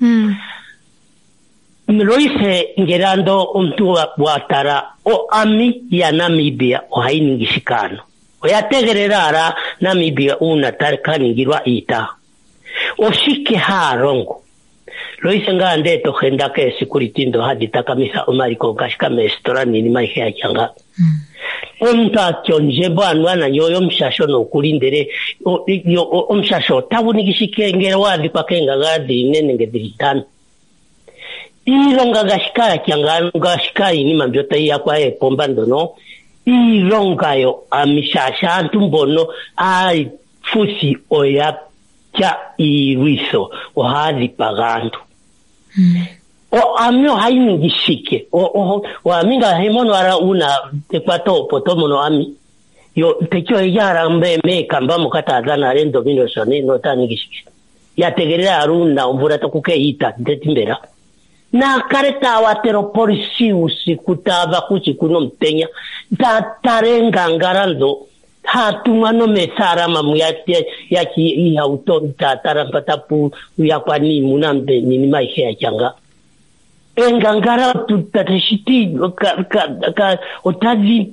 Loise ngele ando omuntu wa tala oami ya Namibia ohayi ningi shikano. Oya tegelela ala Namibia uuna ta ningilwa iita. Oshike haa longo? Loise ngaa ndee to henda keesekuriti ndo hadhi takamisa omaliko ngashika meesitola niinima ayihe yatya nga. Omuntu atya ondjembo anuwa nanyo oyomushasho nokuli ndele omushasho otagu ningi shike ngele wa adhikwa keengaga dhili ne nenge dhili ntano. Iilonga ngashika yatya nga ngashika iinima mbyo tayi yakwa eepomba ndhono iilonga yo amishasha aantu mbono aafuthi oya tya iilwitho ohaya dhipaga aantu. O ami ohayi ningi shike? Oami ngaashi mono ala uuna ekwato opo to mono ami yo teki oya hala meekamba moka taya dhana ale ndomino notaya ningi shike? Ya tegelela ala uuna omvula tokuke iita ndeti mbela naakale taya watela opolisi uusiku taya vaka uusiku nomutenya taya tala eengangala ndho hatumwa nomeethalama mu yatya iihauto taya tala mpa tapu yakwa niimuna niinima ayihe yatya nga. Eengangala tashiti otadhi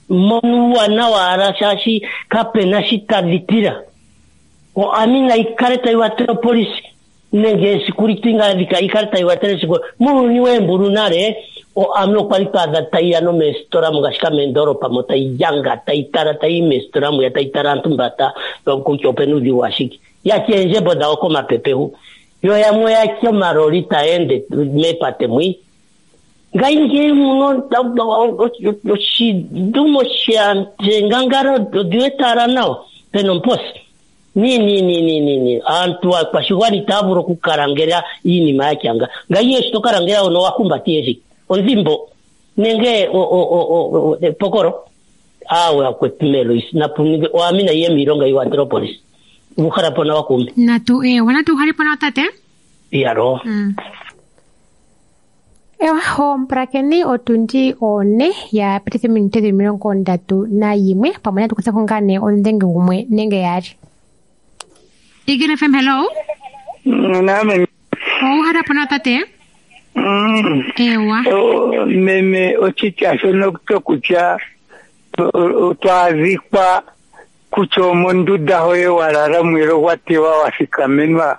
mono uuwanawa ala shaashi kapena shi tadhi tila. Oami nayi kale tayi watele opolisi nenge esekuriti ngaa yi kale tayi watele esekuriti. Muuyuni weembulu nale oami okwali twaadha tayi ya nomeesitola ngashika meendolopa mo tayi yanga tayi tala tayi meesitola muya tayi tala aantu mba kutya opena uudhigu washike. Yatya eendjembo dhawo komapepe hu. Yo yamwe yatya omaloli taya ende meepate mwi. Ngayingeyi muno oshidumo shengangala odhi wete ala nawa pena omuposi. Ni ni ni ni ni ni aantu aakwashigwana itaya vulu okukalangela iinima yatya nga. Ngayi eshi tokalangela ono wahumbatiye shike? Ondhimbo nenge epokolo? Aawe akwetu Meloise napu oami nayiye miilonga yiwatele opolisi. Uuhalapo nawa kuume. Natu ewa natu uhalipo nawa tate? Iyalo. Ewa omupulakeni otundi one ya pititha ominute dhili omilongo ndatu nayimwe pamwe natu kutheko ngaa nee omudhengi gumwe nenge yaali. Eagle F M, hello. Name. Ouhalapo nawa tate? Ewa. Meme oshitya shono shokutya twaadhikwa kutya omonduda hoye walala mwelo gwatewa wathikamenwa.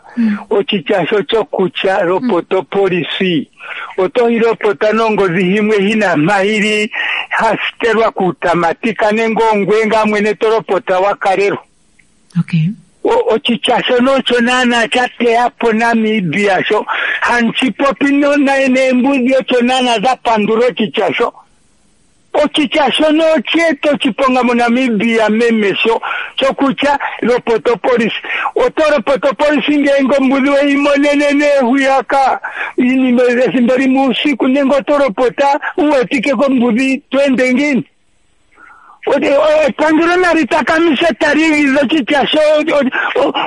Oshitya sho shokutya lopota opolisi otoyi lopota nongodhi himwe hina mahili hasitelwa kuutamatika nenge ongwe ngaa mwene tolopota wakalelwa. Okay. Oshitya shono osho naana sha teya po Namibia sho hanchipopi neembudhi osho naana dha pandula oshitya sho. Oshitya shono osheeta oshiponga moNamibia meme sho shokutya lopota opolisi. Oto lopota opolisi ngeenge ombudhi weyi monene neehuyaka iinima ethimbo limwe uusiku nenge oto lopota uwetike kombudhi tweende ngiini? Epangelo nali takamise tali igidha oshitya sho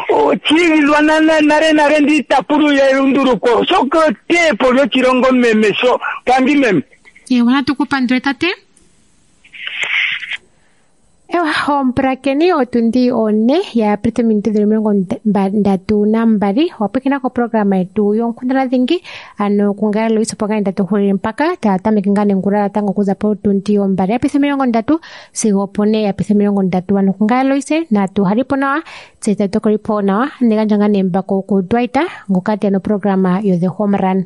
oshiigidhwa nale nale ndi itapulu ya elunduluko shoka eteyepo lyoshilongo meme sho tangi meme. Ewa natukupandule tate. Ewa Omupulakeni otundi one ya pita ominute dhili omilongo mba- ndatu nambali wapwikina koprograma yetu yonkundana dhingi ano kungala Lois opo ngaa ndatu hulile mpaka taya tameke ngaa nengula natango okuza potundi ombali ya pita omilongo ndatu sigo opone ya pita omilongo ndatu ano kungala Lois natu halipo nawa tse tatu tokolipo nawa negandja ngaa nembako ku Dwight ngoka teya noprograma yo The Home Run.